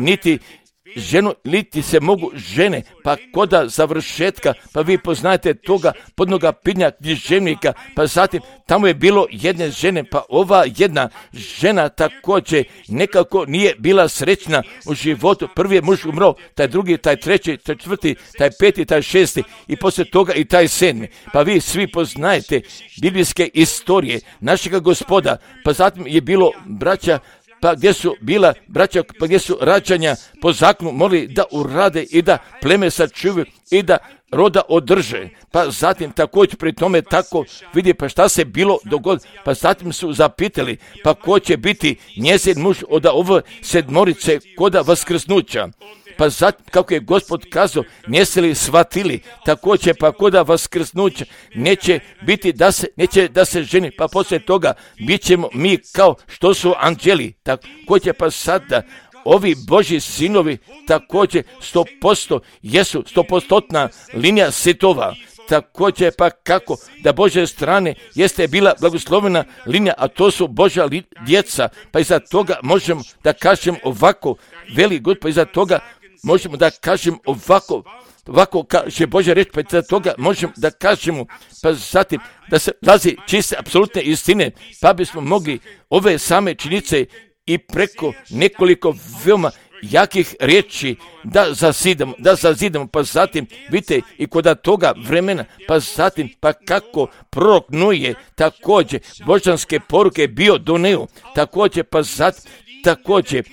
niti se mogu žene, pa koda završetka, pa vi poznajete toga podnoga pinja književnika, pa zatim tamo je bilo jedne žene, pa ova jedna žena također nekako nije bila srećna u životu. Prvi je muž umro, taj drugi, taj treći, taj četvrti, taj peti, taj šesti i poslije toga i taj sedmi. Pa vi svi poznajete biblijske istorije našega Gospoda, pa zatim je bilo braća, pa gdje su bila braća, pa gdje su rađanja po zakonu morali da urade i da pleme sačuvaju i da roda održe. Pa zatim također pri tome tako vidi pa šta se bilo dogodilo. Pa zatim su zapitali pa ko će biti njezin muž od ove sedmorice koda vaskrsnuća. Pa zatim, kako je Gospod kazao, njesu li shvatili, također pa koda vaskrsnuća neće biti neće da se ženi, pa poslije toga bit ćemo mi kao što su anđeli. Također pa sada ovi Božji sinovi također 100% jesu 100% linija sitova. Također pa kako da Božje strane jeste bila blagoslovena linija, a to su Božja djeca, pa iza toga možemo da kažem ovako, veli God, pa iza toga možemo da kažem ovako kaže Božja reč, pa iza toga možemo da kažemo, pa zatim da se lazi čiste apsolutne istine, pa bismo mogli ove same činjenice i preko nekoliko veoma jakih riječi da zazidamo, pa zatim vidite i kod toga vremena, pa zatim pa kako prorok Noje također božanske poruke bio doneo, također pa zatim također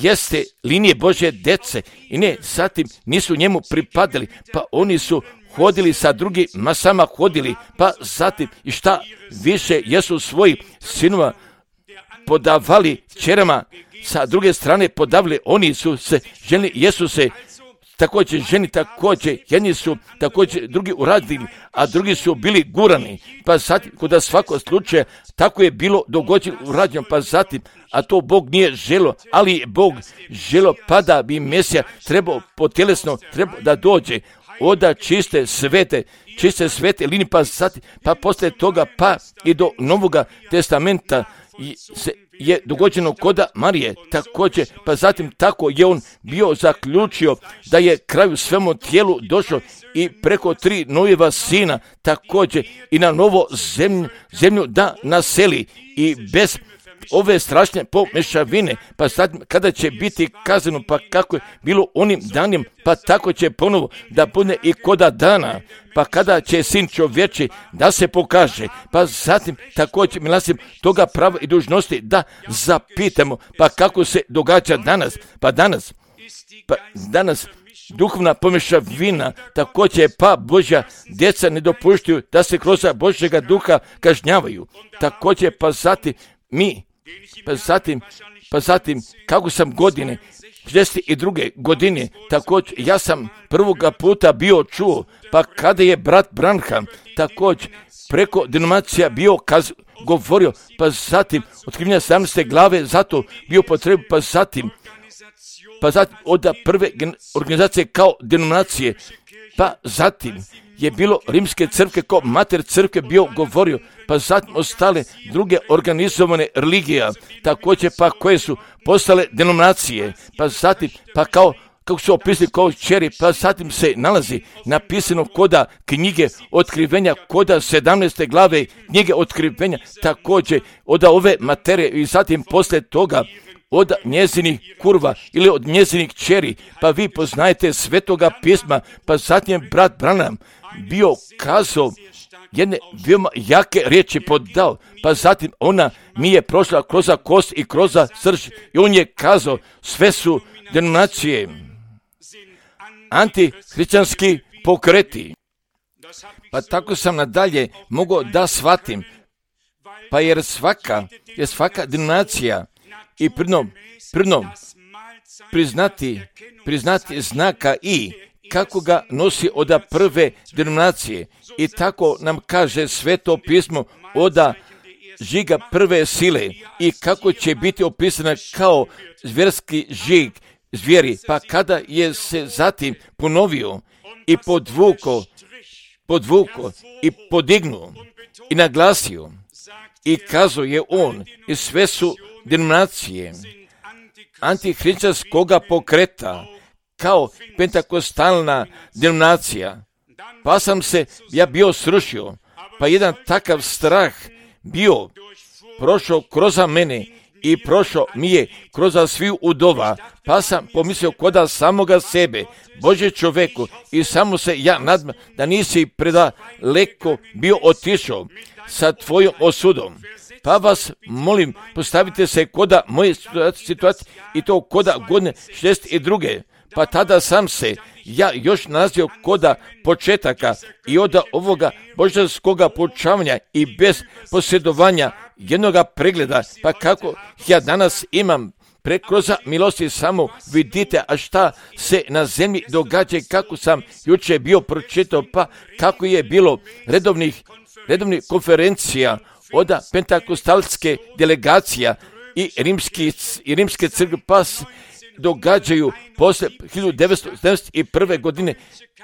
jeste linije Božje dece i ne, zatim nisu njemu pripadali, pa oni su hodili sa drugim masama hodili, pa zatim i šta više jesu svoji sinova podavali čerama, sa druge strane podavili, oni su se ženi, jesu se također ženi, također jedni su također drugi uradili, a drugi su bili gurani, pa zatim kod svakog slučaja tako je bilo dogođeno urađeno, pa zatim, a to Bog nije želo, ali je Bog želo pa da bi Mesija trebao potjelesno da dođe oda čiste svete linije, pa zatim, pa poslije toga pa i do Novoga testamenta je dogođeno koda Marije također, pa zatim tako je on bio zaključio da je kraju svemu tijelu došlo i preko 3 Nojeva sina također i na novo zemlju da naseli i bez ove strašne pomešavine, pa zatim kada će biti kazano, pa kako je bilo onim danjem, pa tako će ponovo da bude i koda dana, pa kada će sin čovječi da se pokaže, pa zatim također milasim toga prava i dužnosti da zapitamo, pa kako se događa danas, pa danas duhovna pomešavina također pa Božja djeca ne dopuštaju da se kroz Božjega duha kažnjavaju, također pa zatim pa zatim kako sam godine 62. godine, također ja sam prvoga puta bio čuo, pa kada je brat Branham također preko denominacija bio govorio, pa zatim otkrivanja 17. glave zato bio potrebu, pa zatim od prve organizacije kao denominacije, pa zatim je bilo rimske crkve kao mater crkve bio govorio, pa zatim ostale druge organizovane religije, također pa koje su postale denominacije, pa zatim pa kao kako su opisali kao čeri, pa zatim se nalazi napisano koda knjige otkrivenja, koda 17. glave knjige otkrivenja, također od ove materije i zatim poslije toga od njezinih kurva ili od njezinih čeri, pa vi poznajete Svetoga pisma, pa zatim brat Branham bio kazao jedne veoma jake riječi podao, pa zatim ona mi je prošla kroz kost i kroz srž i on je kazao sve su denominacije, antihrišćanski pokreti. Pa tako sam nadalje mogao da shvatim, pa jer svaka denominacija i prinom priznati znaka i kako ga nosi od prve denominacije. I tako nam kaže Sveto pismo od žiga prve sile i kako će biti opisana kao zvjerski žig zvijeri. Pa kada je se zatim ponovio i podvuko i podignuo i naglasio i kazao je on i sve su denominacije antihrišćanskoga pokreta kao pentakostalna denominacija. Pa sam se ja bio srušio, pa jedan takav strah bio prošao kroz mene i prošao mi je kroz sviju udova, pa sam pomislio koda samoga sebe, Bože čoveku, i samo se ja nadam da nisi predaleko bio otišao sa tvojom osudom. Pa vas molim, postavite se koda moje situacije i to koda godine 62. Pa tada sam se ja još nalazio koda početaka i od ovoga božanskoga poučavanja i bez posjedovanja jednoga pregleda, pa kako ja danas imam kroz milosti samo vidite, a šta se na zemlji događa, kako sam jučer bio pročitao, pa kako je bilo redovnih konferencija od pentakostalske delegacija i rimske crkve, pa događaju posle 1971. godine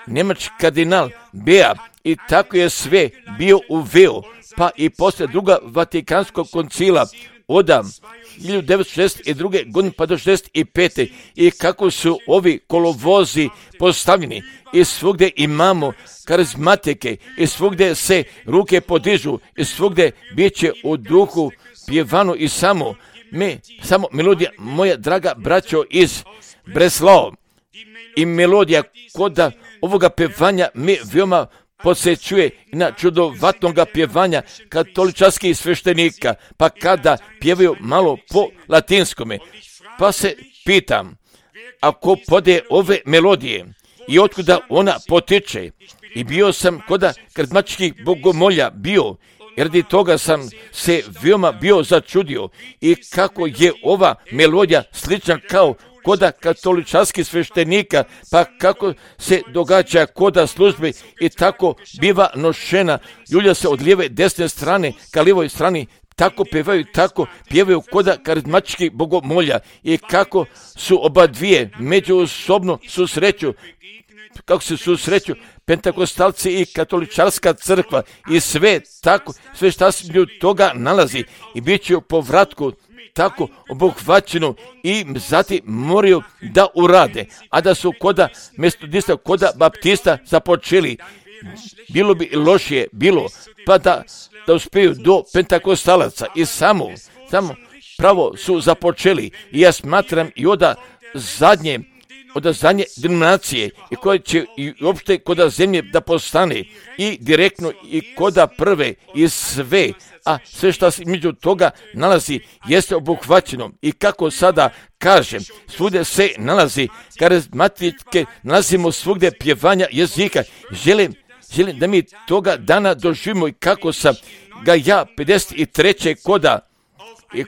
njemački kardinal Bea i tako je sve bio uveo, pa i posle druga Vatikanskog koncila od 1962. godine pa do 1965. i kako su ovi kolovozi postavljeni i svugdje imamo karizmatike i svugdje se ruke podižu i svugdje bit će u duhu pjevano i samo melodija, moja draga braćo iz Breslao, i melodija kod ovoga pjevanja me veoma podsjećuje na čudovatnoga pjevanja katoličanskih sveštenika, pa kada pjevaju malo po latinskome, pa se pitam, ako pode ove melodije i otkuda ona potiče, i bio sam kod karizmatičkih bogomolja bio, jer radi toga sam se veoma bio začudio i kako je ova melodija slična kao koda katoličanskih sveštenika, pa kako se događa koda službe i tako biva nošena, ljulja se od lijeve desne strane ka lijevoj strani, tako pjevaju koda karizmatičkih bogomolja i kako su oba dvije međusobno susreću, kako se susreću pentakostalci i katoličarska crkva i sve tako, sve šta se toga nalazi i bit će u povratku tako obuhvaćeno i zatim moraju da urade, a da su koda metodista, koda baptista započeli, bilo bi lošije bilo, pa da uspiju do pentakostalaca i samo pravo su započeli i ja smatram i od zadnje denominacije i koje će i uopšte koda zemlje da postane i direktno i koda prve i sve, a sve što se među toga nalazi jeste obuhvaćeno i kako sada kažem, svugdje se nalazi karizmatike, nalazimo svugdje pjevanja jezika. Želim da mi toga dana doživimo i kako sam ga ja 53.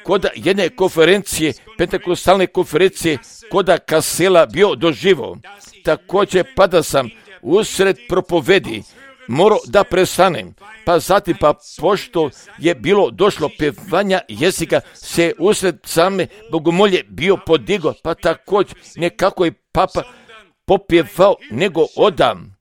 koda jedne konferencije, pentakostalne konferencije, koda Kasela bio doživo. Također pa da sam usred propovedi morao da prestanem, pa zatim pošto je bilo došlo pjevanja jezika se usred same bogomolje bio podigo, pa također nekako je papa popjevao nego odam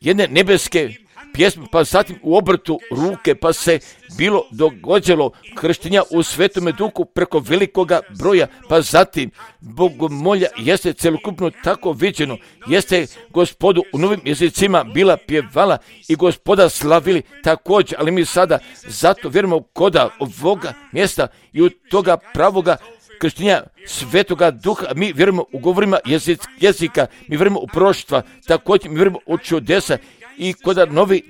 jedne nebeske pjesmu, pa zatim u obrtu ruke, pa se bilo događalo krštenja u Svetome Duhu preko velikoga broja, pa zatim bogomolja jeste celokupno tako viđeno, jeste Gospodu u novim jezicima bila pjevala i Gospoda slavili također, ali mi sada zato vjerujemo koda ovoga mjesta i u toga pravoga krštenja Svetoga Duha, mi vjerujemo u govorima jezika, mi vjerujemo u proroštva, također mi vjerujemo u čudesa i koda novi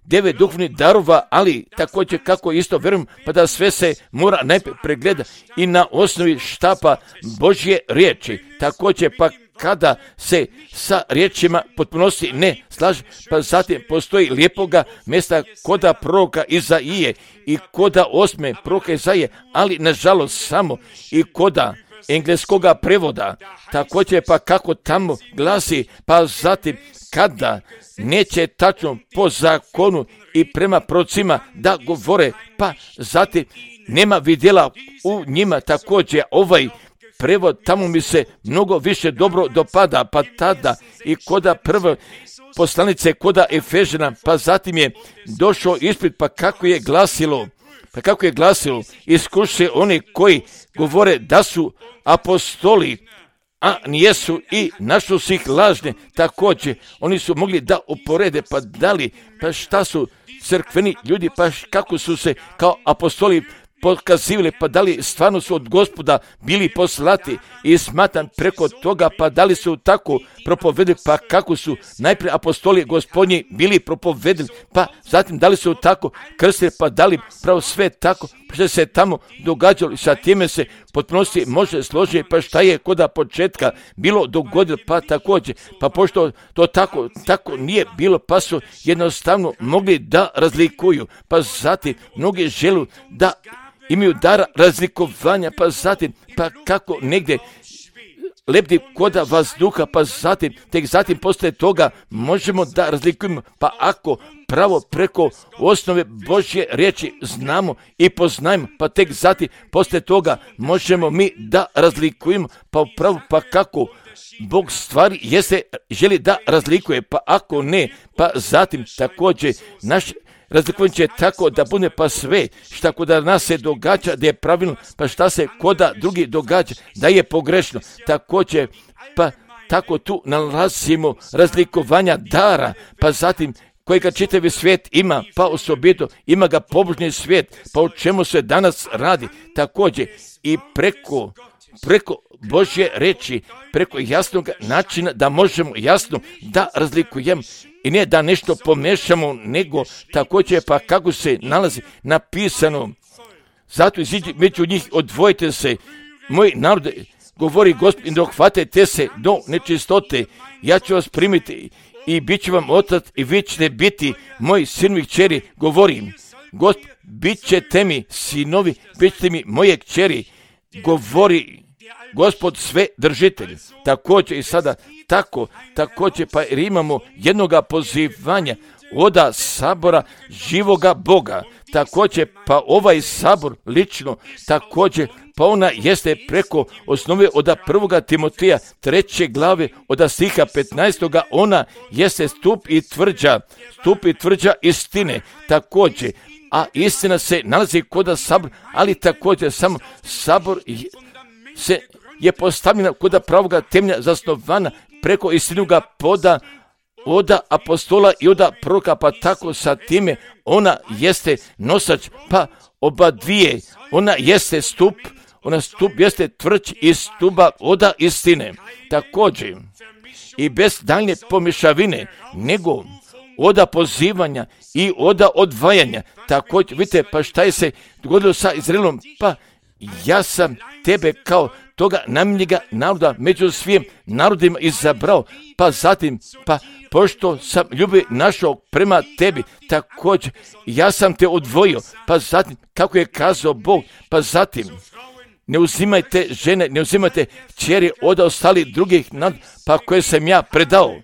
9 duhovnih darova, ali također kako isto vjerujem, pa da sve se mora najprije pregleda i na osnovi štapa Božje riječi. Također pa kada se sa riječima potpunosti ne slaže, pa zatim postoji lijepoga mjesta koda proroka Izaije i koda 8. proroka Izaije, ali nažalost samo i koda engleskoga prevoda. Također pa kako tamo glasi, pa zatim kada neće tačno po zakonu i prema prorocima da govore, pa zatim nema vidjela u njima. Također ovaj prevod tamo mi se mnogo više dobro dopada, pa tada i koda prve poslanice, koda Efežana, pa zatim je došao ispit, pa kako je glasilo, iskuše oni koji govore da su apostoli, a nijesu i našli su ih lažne. Također oni su mogli da uporede, pa dali, pa šta su crkveni ljudi, pa kako su se kao apostoli pokazivali, pa da li stvarno su od Gospoda bili poslati i smatram preko toga, pa da li su tako propovedili, pa kako su najprije apostoli Gospodnji bili propovedili, pa zatim da li su tako krstili, pa da li pravo sve tako što se tamo događalo i sa time se potpunosti može složiti, pa šta je koda početka bilo dogodilo, pa također, pa pošto to tako nije bilo, pa su jednostavno mogli da razlikuju, pa zatim mnogi žele da imaju dar razlikovanja, pa zatim, pa kako negdje lebdi koda vazduha, pa zatim, tek zatim poslije toga možemo da razlikujemo, pa ako pravo preko osnove Božje riječi znamo i poznajemo, pa tek zatim poslije toga možemo mi da razlikujemo, pa upravo pa kako Bog stvari jeste želi da razlikuje, pa ako ne, pa zatim također naš razlikovanje će tako da bude pa sve šta kod nas se događa da je pravilno, pa šta se koda drugi događa da je pogrešno. Također pa tako tu nalazimo razlikovanja dara, pa zatim kojega čitavi svijet ima, pa osobito ima ga pobožni svijet, pa o čemu se danas radi. Također i preko Božje reči, preko jasnog načina da možemo jasno da razlikujemo i ne da nešto pomešamo, nego također pa kako se nalazi napisano. Zato iziđi među njih, odvojite se, moj narod, govori Gospod, i dohvatite se do nečistote, ja ću vas primiti i bit ću vam otac i vi ćete biti moji sinovi kćeri, govorim. Gospod, bit ćete mi sinovi, bit ćete mi moje kćeri, govori Gospod sve držitelj. Također i sada također pa jer imamo jednoga pozivanja oda sabora živoga Boga. Također pa ovaj sabor lično također pa ona jeste preko osnove od 1. Timoteja 3. glave od stiha 15. ona jeste stup i tvrđa istine. Također, a istina se nalazi kod sabora, ali također samo sabor se je postavljena kod pravoga temelja zasnovana preko istinoga poda oda apostola i oda proroka, pa tako sa time ona jeste nosač, pa oba dvije, ona jeste stup jeste tvrđ iz stuba oda istine. Također i bez daljnje pomješavine, nego oda pozivanja i oda odvajanja. Također, vidite, pa šta je se dogodilo sa Izraelom, pa ja sam tebe kao toga namijenjega naroda među svim narodima izabrao, pa zatim, pa pošto sam ljubav našao prema tebi, također ja sam te odvojio, pa zatim, kako je kazao Bog, pa zatim, ne uzimajte žene, ne uzimajte kćeri od ostalih drugih naroda, pa koje sam ja predao.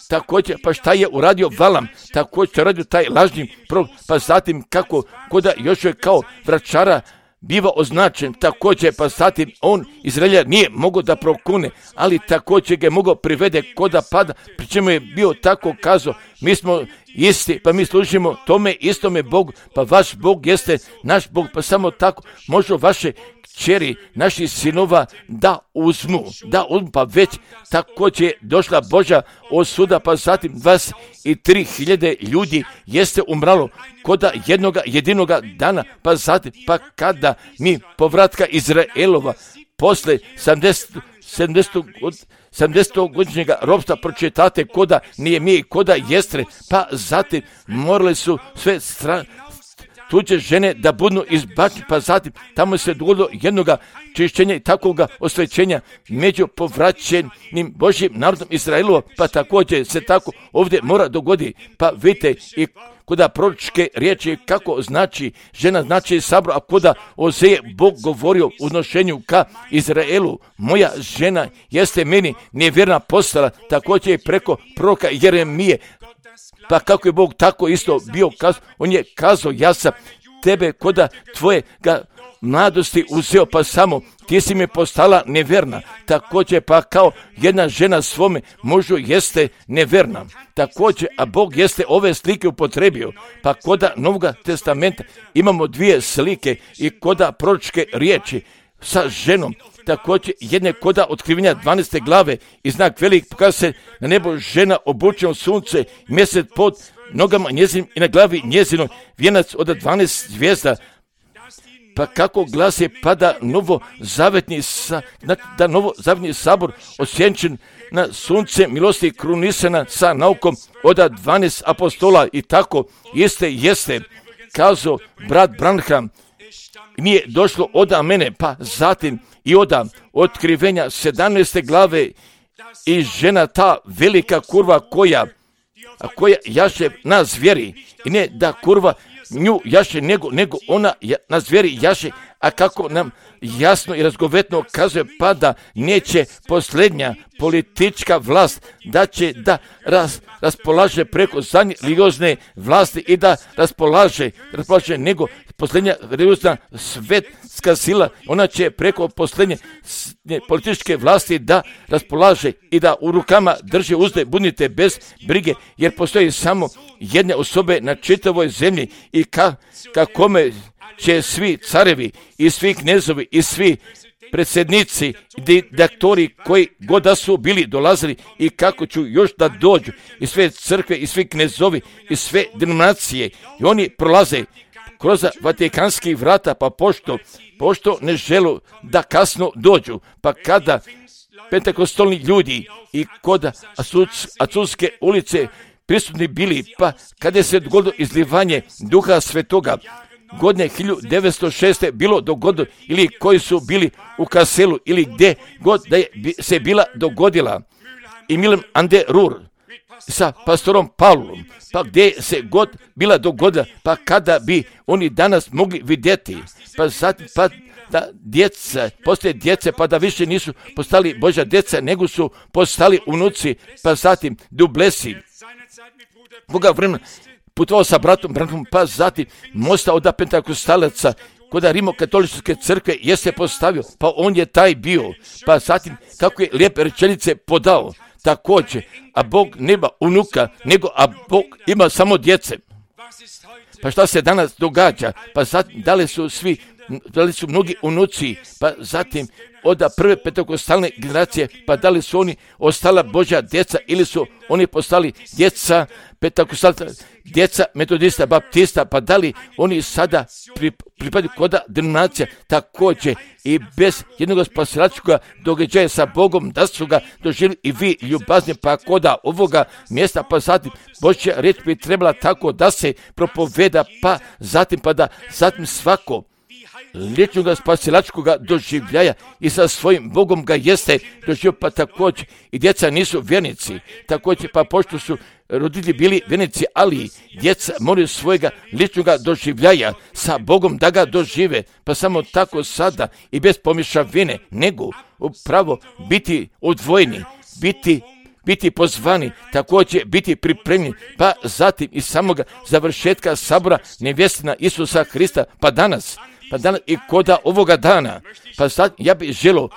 Također, pa šta je uradio Valam, također uradio taj lažni prorok, pa zatim kako koda još je kao vračara biva označen, također pa zatim on Izraelja nije mogao da prokune, ali također ga je mogao privede koda pada, pri čemu je bio tako kazao, mi smo isti, pa mi služimo tome istome Bogu, pa vaš Bog jeste naš Bog, pa samo tako može vaše kćeri, naših sinova da uzmu, pa već također je došla Božja osuda, pa zatim 23.000 ljudi jeste umralo koda jedinoga dana, pa zatim, pa kada mi povratka Izraelova posle 70-godišnjega ropstva pročitate koda Nehemije, koda Jestre, pa zatim morali su sve tuđe žene da budu izbačene, pa zatim tamo se dogodilo jednoga čišćenja i takvoga osvećenja među povraćenim Božjim narodom Izraelova, pa također se tako ovdje mora dogoditi. Pa vidite i koda proročke riječi kako znači žena znači sabor, a koda Ozeje Bog govorio u odnošenju ka Izraelu, moja žena jeste meni nevjerna postala, također je preko proroka Jeremije. Pa kako je Bog tako isto bio kazao, on je kazao, ja sam tebe koda tvojega mladosti uzeo, pa samo ti si mi postala neverna. Također pa kao jedna žena svome mužu jeste neverna. Također, a Bog jeste ove slike upotrebio. Pa koda Novoga testamenta imamo dvije slike i koda proročke riječi sa ženom. Također jedne koda otkrivenja 12. glave i znak velik pokazuje se na nebo žena obučena u sunce, mjesec pod nogama njezinim i na glavi njezinom vijenac od 12 zvijezda. Pa kako glasi, pa da novozavetni sabor osjenčen na sunce milosti krunisana sa naukom od 12 apostola i tako jeste kazao brat Branham, nije došlo od mene, pa zatim i od otkrivenja 17. glave i žena ta velika kurva koja jaše na zvijeri, i ne da kurva nju jaše, nego ona na zvijeri jaše, a kako nam jasno i razgovetno kazuje, pa da neće posljednja politička vlast da će da raspolaže preko zadnje religiozne vlasti i da raspolaže nego posljednja religiozna svetska sila, ona će preko posljednje političke vlasti da raspolaže i da u rukama drži uzde, budite bez brige, jer postoji samo jedne osobe na čitavoj zemlji i kome će svi carevi i svi knezovi i svi predsjednici, diktatori koji god da su bili dolazili i kako ću još da dođu i sve crkve i svi knezovi i sve denominacije i oni prolaze kroz vatikanski vrata, pa pošto ne želu da kasno dođu, pa kada pentekostalni ljudi i kod Azuske ulice prisutni bili, pa kada se dogodilo izlivanje Duha Svetoga, godine 1906. bilo dogodilo, ili koji su bili u Kaselu, ili gdje god da je se bila dogodila, i Milan Ande Rur sa pastorom Pavlom, pa gdje se god bila dogodila, pa kada bi oni danas mogli vidjeti, pa zatim, pa da djeca, postoje djece, pa da više nisu postali Božja djeca, nego su postali unuci, pa zatim dublesi. Koga vremena putovao sa bratom Branham, pa zatim mosta od pentakostalaca kod Rimokatoličke crkve jeste postavio, pa on je taj bio, pa zatim kako je lijepe rečenice podao, također, a Bog nema unuka, a Bog ima samo djece. Pa šta se danas događa? Pa zatim, da li su mnogi unuci, pa zatim od prve pentakostalne generacije, pa da li su oni ostala Božja djeca ili su oni postali djeca pentakostalca, djeca metodista, baptista, pa da li oni sada pripadaju koda denominacija, također i bez jednog spasilačkog događaja sa Bogom, da su ga doživjeli i vi ljubazni, pa koda ovoga mjesta, pa zatim Božja riječ bi trebala tako da se propoveda, pa zatim svako liječnoga spasilačkoga doživljaja i sa svojim Bogom ga jeste doživio, pa također i djeca nisu vjernici, također pa pošto su roditelji bili vjernici, ali djeca moraju svojega ličnoga doživljaja sa Bogom da ga dožive, pa samo tako sada i bez pomješavine, nego upravo biti odvojeni, biti pozvani, također biti pripremljeni, pa zatim i samoga završetka sabora nevjestina Isusa Hrista, pa danas, pa danas i koda ovoga dana, pa sad ja bih želio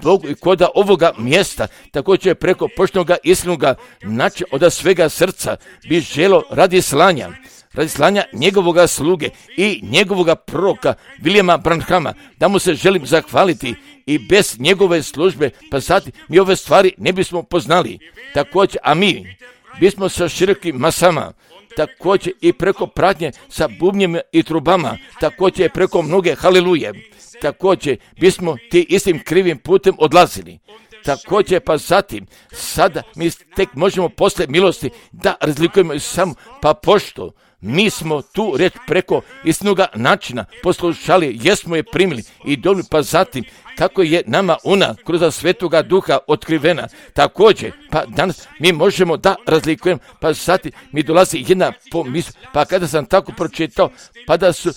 Bogu i koda ovoga mjesta, također preko poštenoga iskrenoga načina od svega srca bi želio radi slanja njegovoga sluge i njegovoga proroka Williama Branhama, da mu se želim zahvaliti i bez njegove službe, pa sad mi ove stvari ne bismo poznali. Također, a mi bismo sa širokim masama, također i preko pratnje sa bubnjima i trubama, također preko mnoge haliluje, također bismo ti istim krivim putem odlazili. Također pa zatim, sada mi tek možemo posle milosti da razlikujemo samo, pa pošto mi smo tu reč preko istinoga načina poslušali, jesmo je primili i dobili, pa zatim kako je nama ona kroz Svetoga Duha otkrivena. Također, pa danas mi možemo da razlikujemo, pa zatim mi dolazi jedna pomisla, pa kada sam tako pročitao, pa da su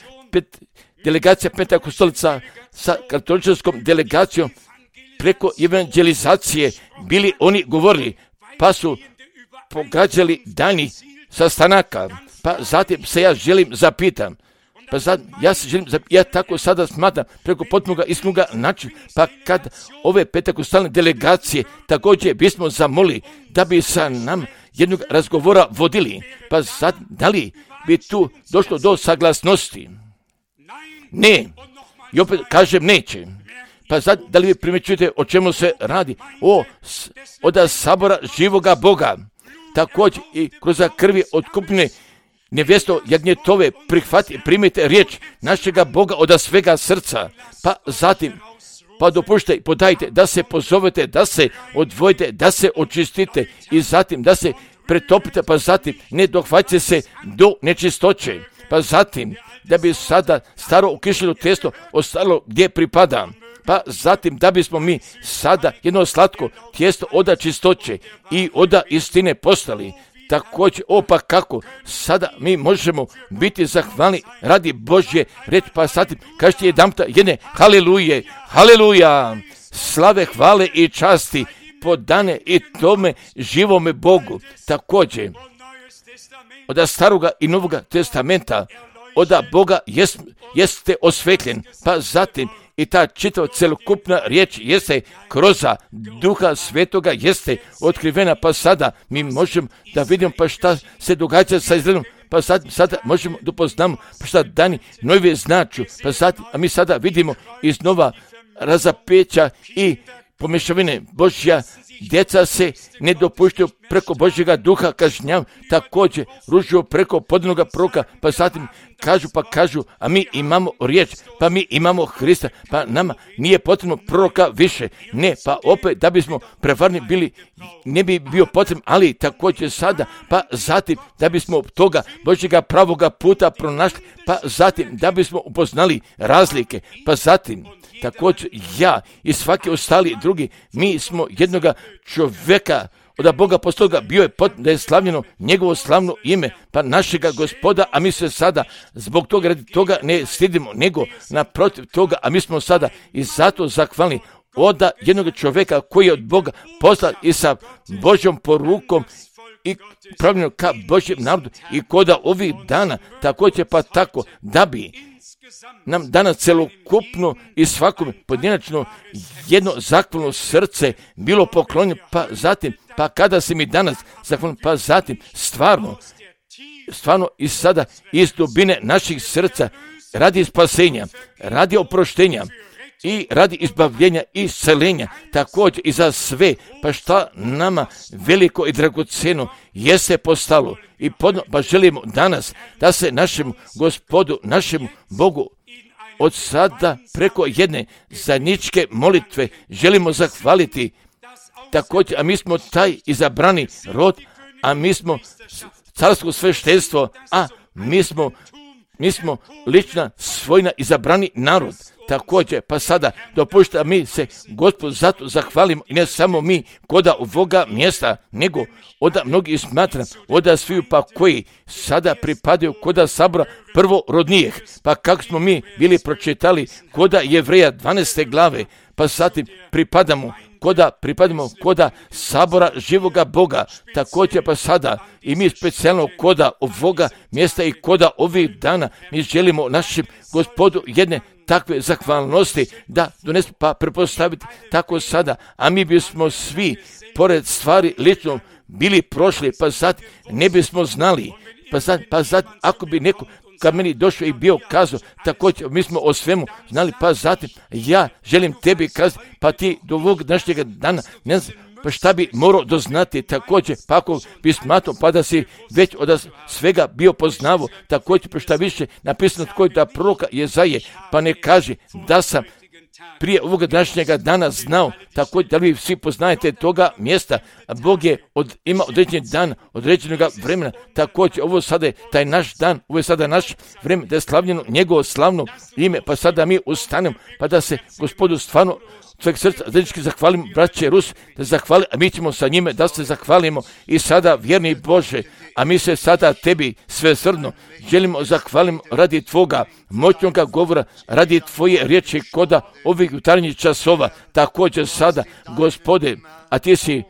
delegacija Pentakostalica sa katoličkom delegacijom preko evangelizacije bili oni govorili, pa su pogađali daljnjih sastanaka. Pa zatim se ja želim zapitam, ja tako sada smatram preko potpunoga iskrenog načina, pa kad ove pentakostalne delegacije također bismo zamolili da bi sa nam jednog razgovora vodili, pa sad da li bi tu došlo do saglasnosti? Ne, i opet kažem neće. Pa sad, da li vi primjećujete o čemu se radi? Od sabora živoga Boga. Također i kroz krvi otkupljene nevjesto jagnjetove primite riječ našega Boga od svega srca. Pa zatim, pa dopušte, podajte da se pozovete, da se odvojite, da se očistite i zatim da se pretopite, pa zatim ne dohvaćate se do nečistoće. Pa zatim, da bi sada staro ukišljeno testo ostalo gdje pripada. Pa zatim da bismo mi sada jedno slatko tijesto oda čistoće i oda istine postali. Također, pa kako sada mi možemo biti zahvalni radi Božje reč, pa zatim kažete jedanputa jedne haliluje, haleluja, slave, hvale i časti podane i tome živome Bogu. Također, od staroga i novoga testamenta, od Boga jeste osvetljen, pa zatim i ta čitava celokupna riječ jeste kroz Duha Svetoga jeste otkrivena, pa sada mi možemo da vidimo pa šta se događa sa Izraelom, pa sada možemo da upoznamo pa šta dani nove značu, pa sad, a mi sada vidimo iznova razapeća i pomješavine Božja. Djeca se ne dopuštaju preko Božjega Duha kažnjav, također ružuju preko podanoga proroka, pa zatim kažu, a mi imamo riječ, pa mi imamo Hrista, pa nama nije potrebno proroka više. Ne, pa opet da bismo prevarni bili, ne bi bio potrebno, ali također sada, pa zatim da bismo toga Božjega pravoga puta pronašli, pa zatim da bismo upoznali razlike, pa zatim također ja i svaki ostali drugi, mi smo jednoga čovjeka od Boga postoga bio je da je slavljeno njegovo slavno ime, pa našega Gospoda, a mi se sada zbog toga radi toga ne stidimo, nego naprotiv toga, a mi smo sada i zato zahvalni od jednog čovjeka koji je od Boga poslan i sa Božjom porukom i pravljeno ka Božjem narodu i koda ovih dana također pa tako da bi nam danas celokupno i svakom pojedinačno jedno zahvalno srce bilo poklonjeno, pa zatim, pa kada se mi danas zahvalno, pa zatim stvarno i sada iz dubine naših srca radi spasenja, radi oproštenja i radi izbavljenja i isceljenja, također i za sve, pa šta nama veliko i dragoceno jeste postalo i pa želimo danas da se našem Gospodu, našem Bogu od sada preko jedne zajedničke molitve želimo zahvaliti također, a mi smo taj izabrani rod, a mi smo carsko sveštenstvo, a mi smo lična svojna izabrani narod. Također, pa sada dopušta mi se Gospod zato zahvalimo i ne samo mi koda ovoga mjesta, nego oda mnogi smatram, oda sviju pa koji sada pripadaju koda sabora prvorodnijih, pa kako smo mi bili pročitali koda Jevreja 12. glave, pa zatim pripadamo koda sabora živoga Boga, također pa sada i mi specijalno koda ovoga mjesta i koda ovih dana mi želimo našem Gospodu jedne takve zahvalnosti da donesu, pa prepostaviti tako sada, a mi bismo svi pored stvari lično bili prošli, pa sad ne bismo znali, pa sad ako bi neko kad meni došao i bio kazao, također mi smo o svemu znali, pa zatim ja želim tebi kazati, pa ti do ovog današnjega dana ne znam, pa šta bi morao doznati također, pa ako bi smatrao, pa da si već od svega bio poznavo, također, pa šta više napisano tko da proroka Jezaje, pa ne kaže da sam prije ovoga današnjega dana znao, također da li vi svi poznajete toga mjesta, a Bog je ima određeni dan, određenog vremena, također ovo sada je taj naš dan, ovo je sada naš vreme, da je slavljeno njegovo slavno ime, pa sada mi ustanemo, pa da se Gospodu stvarno sveg srca zajednički zahvalimo, braće Rus, da zahvali, a mi ćemo sa njime da se zahvalimo i sada, vjerni Bože, a mi se sada tebi svesrdno želimo zahvalimo radi tvoga moćnoga govora, radi tvoje riječi koda ovih jutarnjih časova, također sada, Gospode, a ti si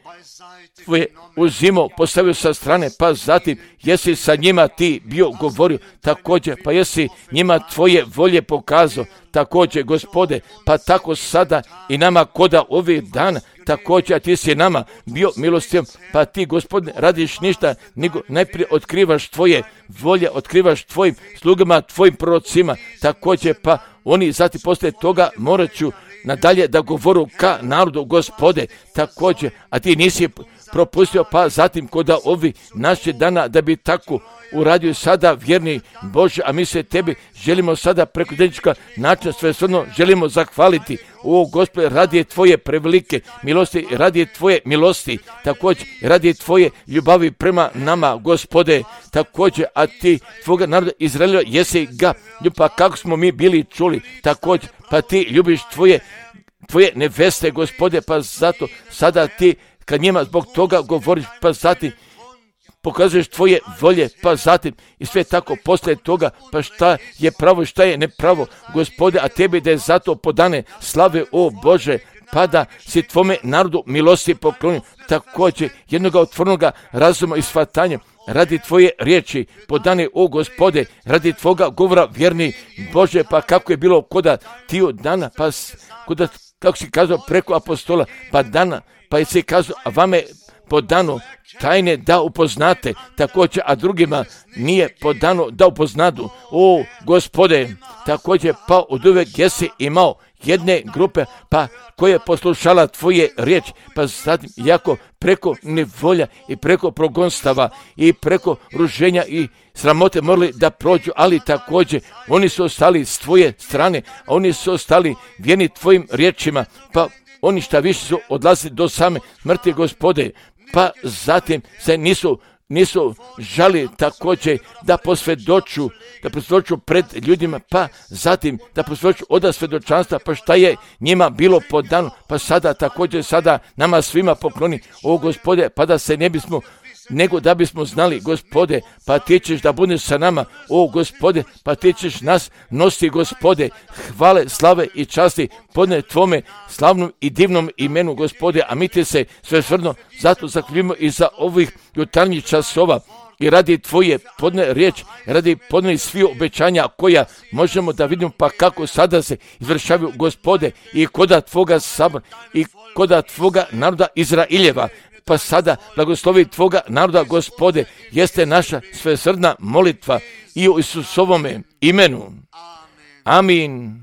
tvoje uzimao, postavio sa strane, pa zatim jesi sa njima ti bio govorio, također, pa jesi njima tvoje volje pokazao, također, Gospode, pa tako sada i nama koda ovih dana, također, a ti si nama bio milostiv, pa ti, Gospodine, radiš ništa, nego najprije otkrivaš tvoje volje, otkrivaš tvojim slugama, tvojim prorocima, također, pa oni zatim poslije toga morat ću nadalje da govoru ka narodu, Gospode, također, a ti nisi propustio, pa zatim koda ovi naše dana da bi tako uradio sada, vjerni Bože, a mi se tebi želimo sada preko dnevnička načina svesrdno želimo zahvaliti, o Gospode, radi tvoje prevelike milosti, radi tvoje milosti, također radi tvoje ljubavi prema nama, Gospode, također, a ti tvoga naroda Izraela jesi ga, pa kako smo mi bili čuli, također, pa ti ljubiš tvoje neveste, Gospode, pa zato sada ti kad njima zbog toga govoriš, pa zatim pokazuješ tvoje volje, pa zatim i sve tako poslije toga, pa šta je pravo, šta je nepravo, Gospode, a tebi da je zato podane slave, o Bože, pa da si tvome narodu milosti poklonio, također jednoga otvornoga razuma i shvatanja, radi tvoje riječi podane, o Gospode, radi tvoga govora, vjerni Bože, pa kako je bilo koda tiju dana, pa koda, kako si kazao preko apostola, pa dana, pa je se kazao, a vame podano tajne da upoznate, također, a drugima nije podano da upoznadu. O Gospode, također, pa od uvek jesi imao jedne grupe, pa koja je poslušala tvoje riječi, pa zatim jako preko nevolja i preko progonstava i preko ruženja i sramote morali da prođu, ali također oni su ostali s tvoje strane, a oni su ostali vjerni tvojim riječima, pa oni šta više su odlazili do same smrti, Gospode, pa zatim se nisu žali također da posvjedoču pred ljudima, pa zatim da posvjedoču od svjedočanstva, pa šta je njima bilo podano, pa sada također sada nama svima pokloni, o Gospode, pa da se ne bismo nego da bismo znali, Gospode, pa ti ćeš da budeš sa nama, o Gospode, pa ti ćeš nas nositi, Gospode, hvale, slave i časti podne tvome slavnom i divnom imenu, Gospode, a mi ti se svesrdno zato zahvaljujemo i za ovih jutarnjih časova i radi tvoje podne riječ, radi podne svih obećanja koja možemo da vidimo, pa kako sada se izvršavaju, Gospode, i koda tvoga sabora i koda tvoga naroda Izraeljeva, pa sada blagoslovi tvoga naroda, Gospode, jeste naša svesrdna molitva i u Isusovome imenu. Amin.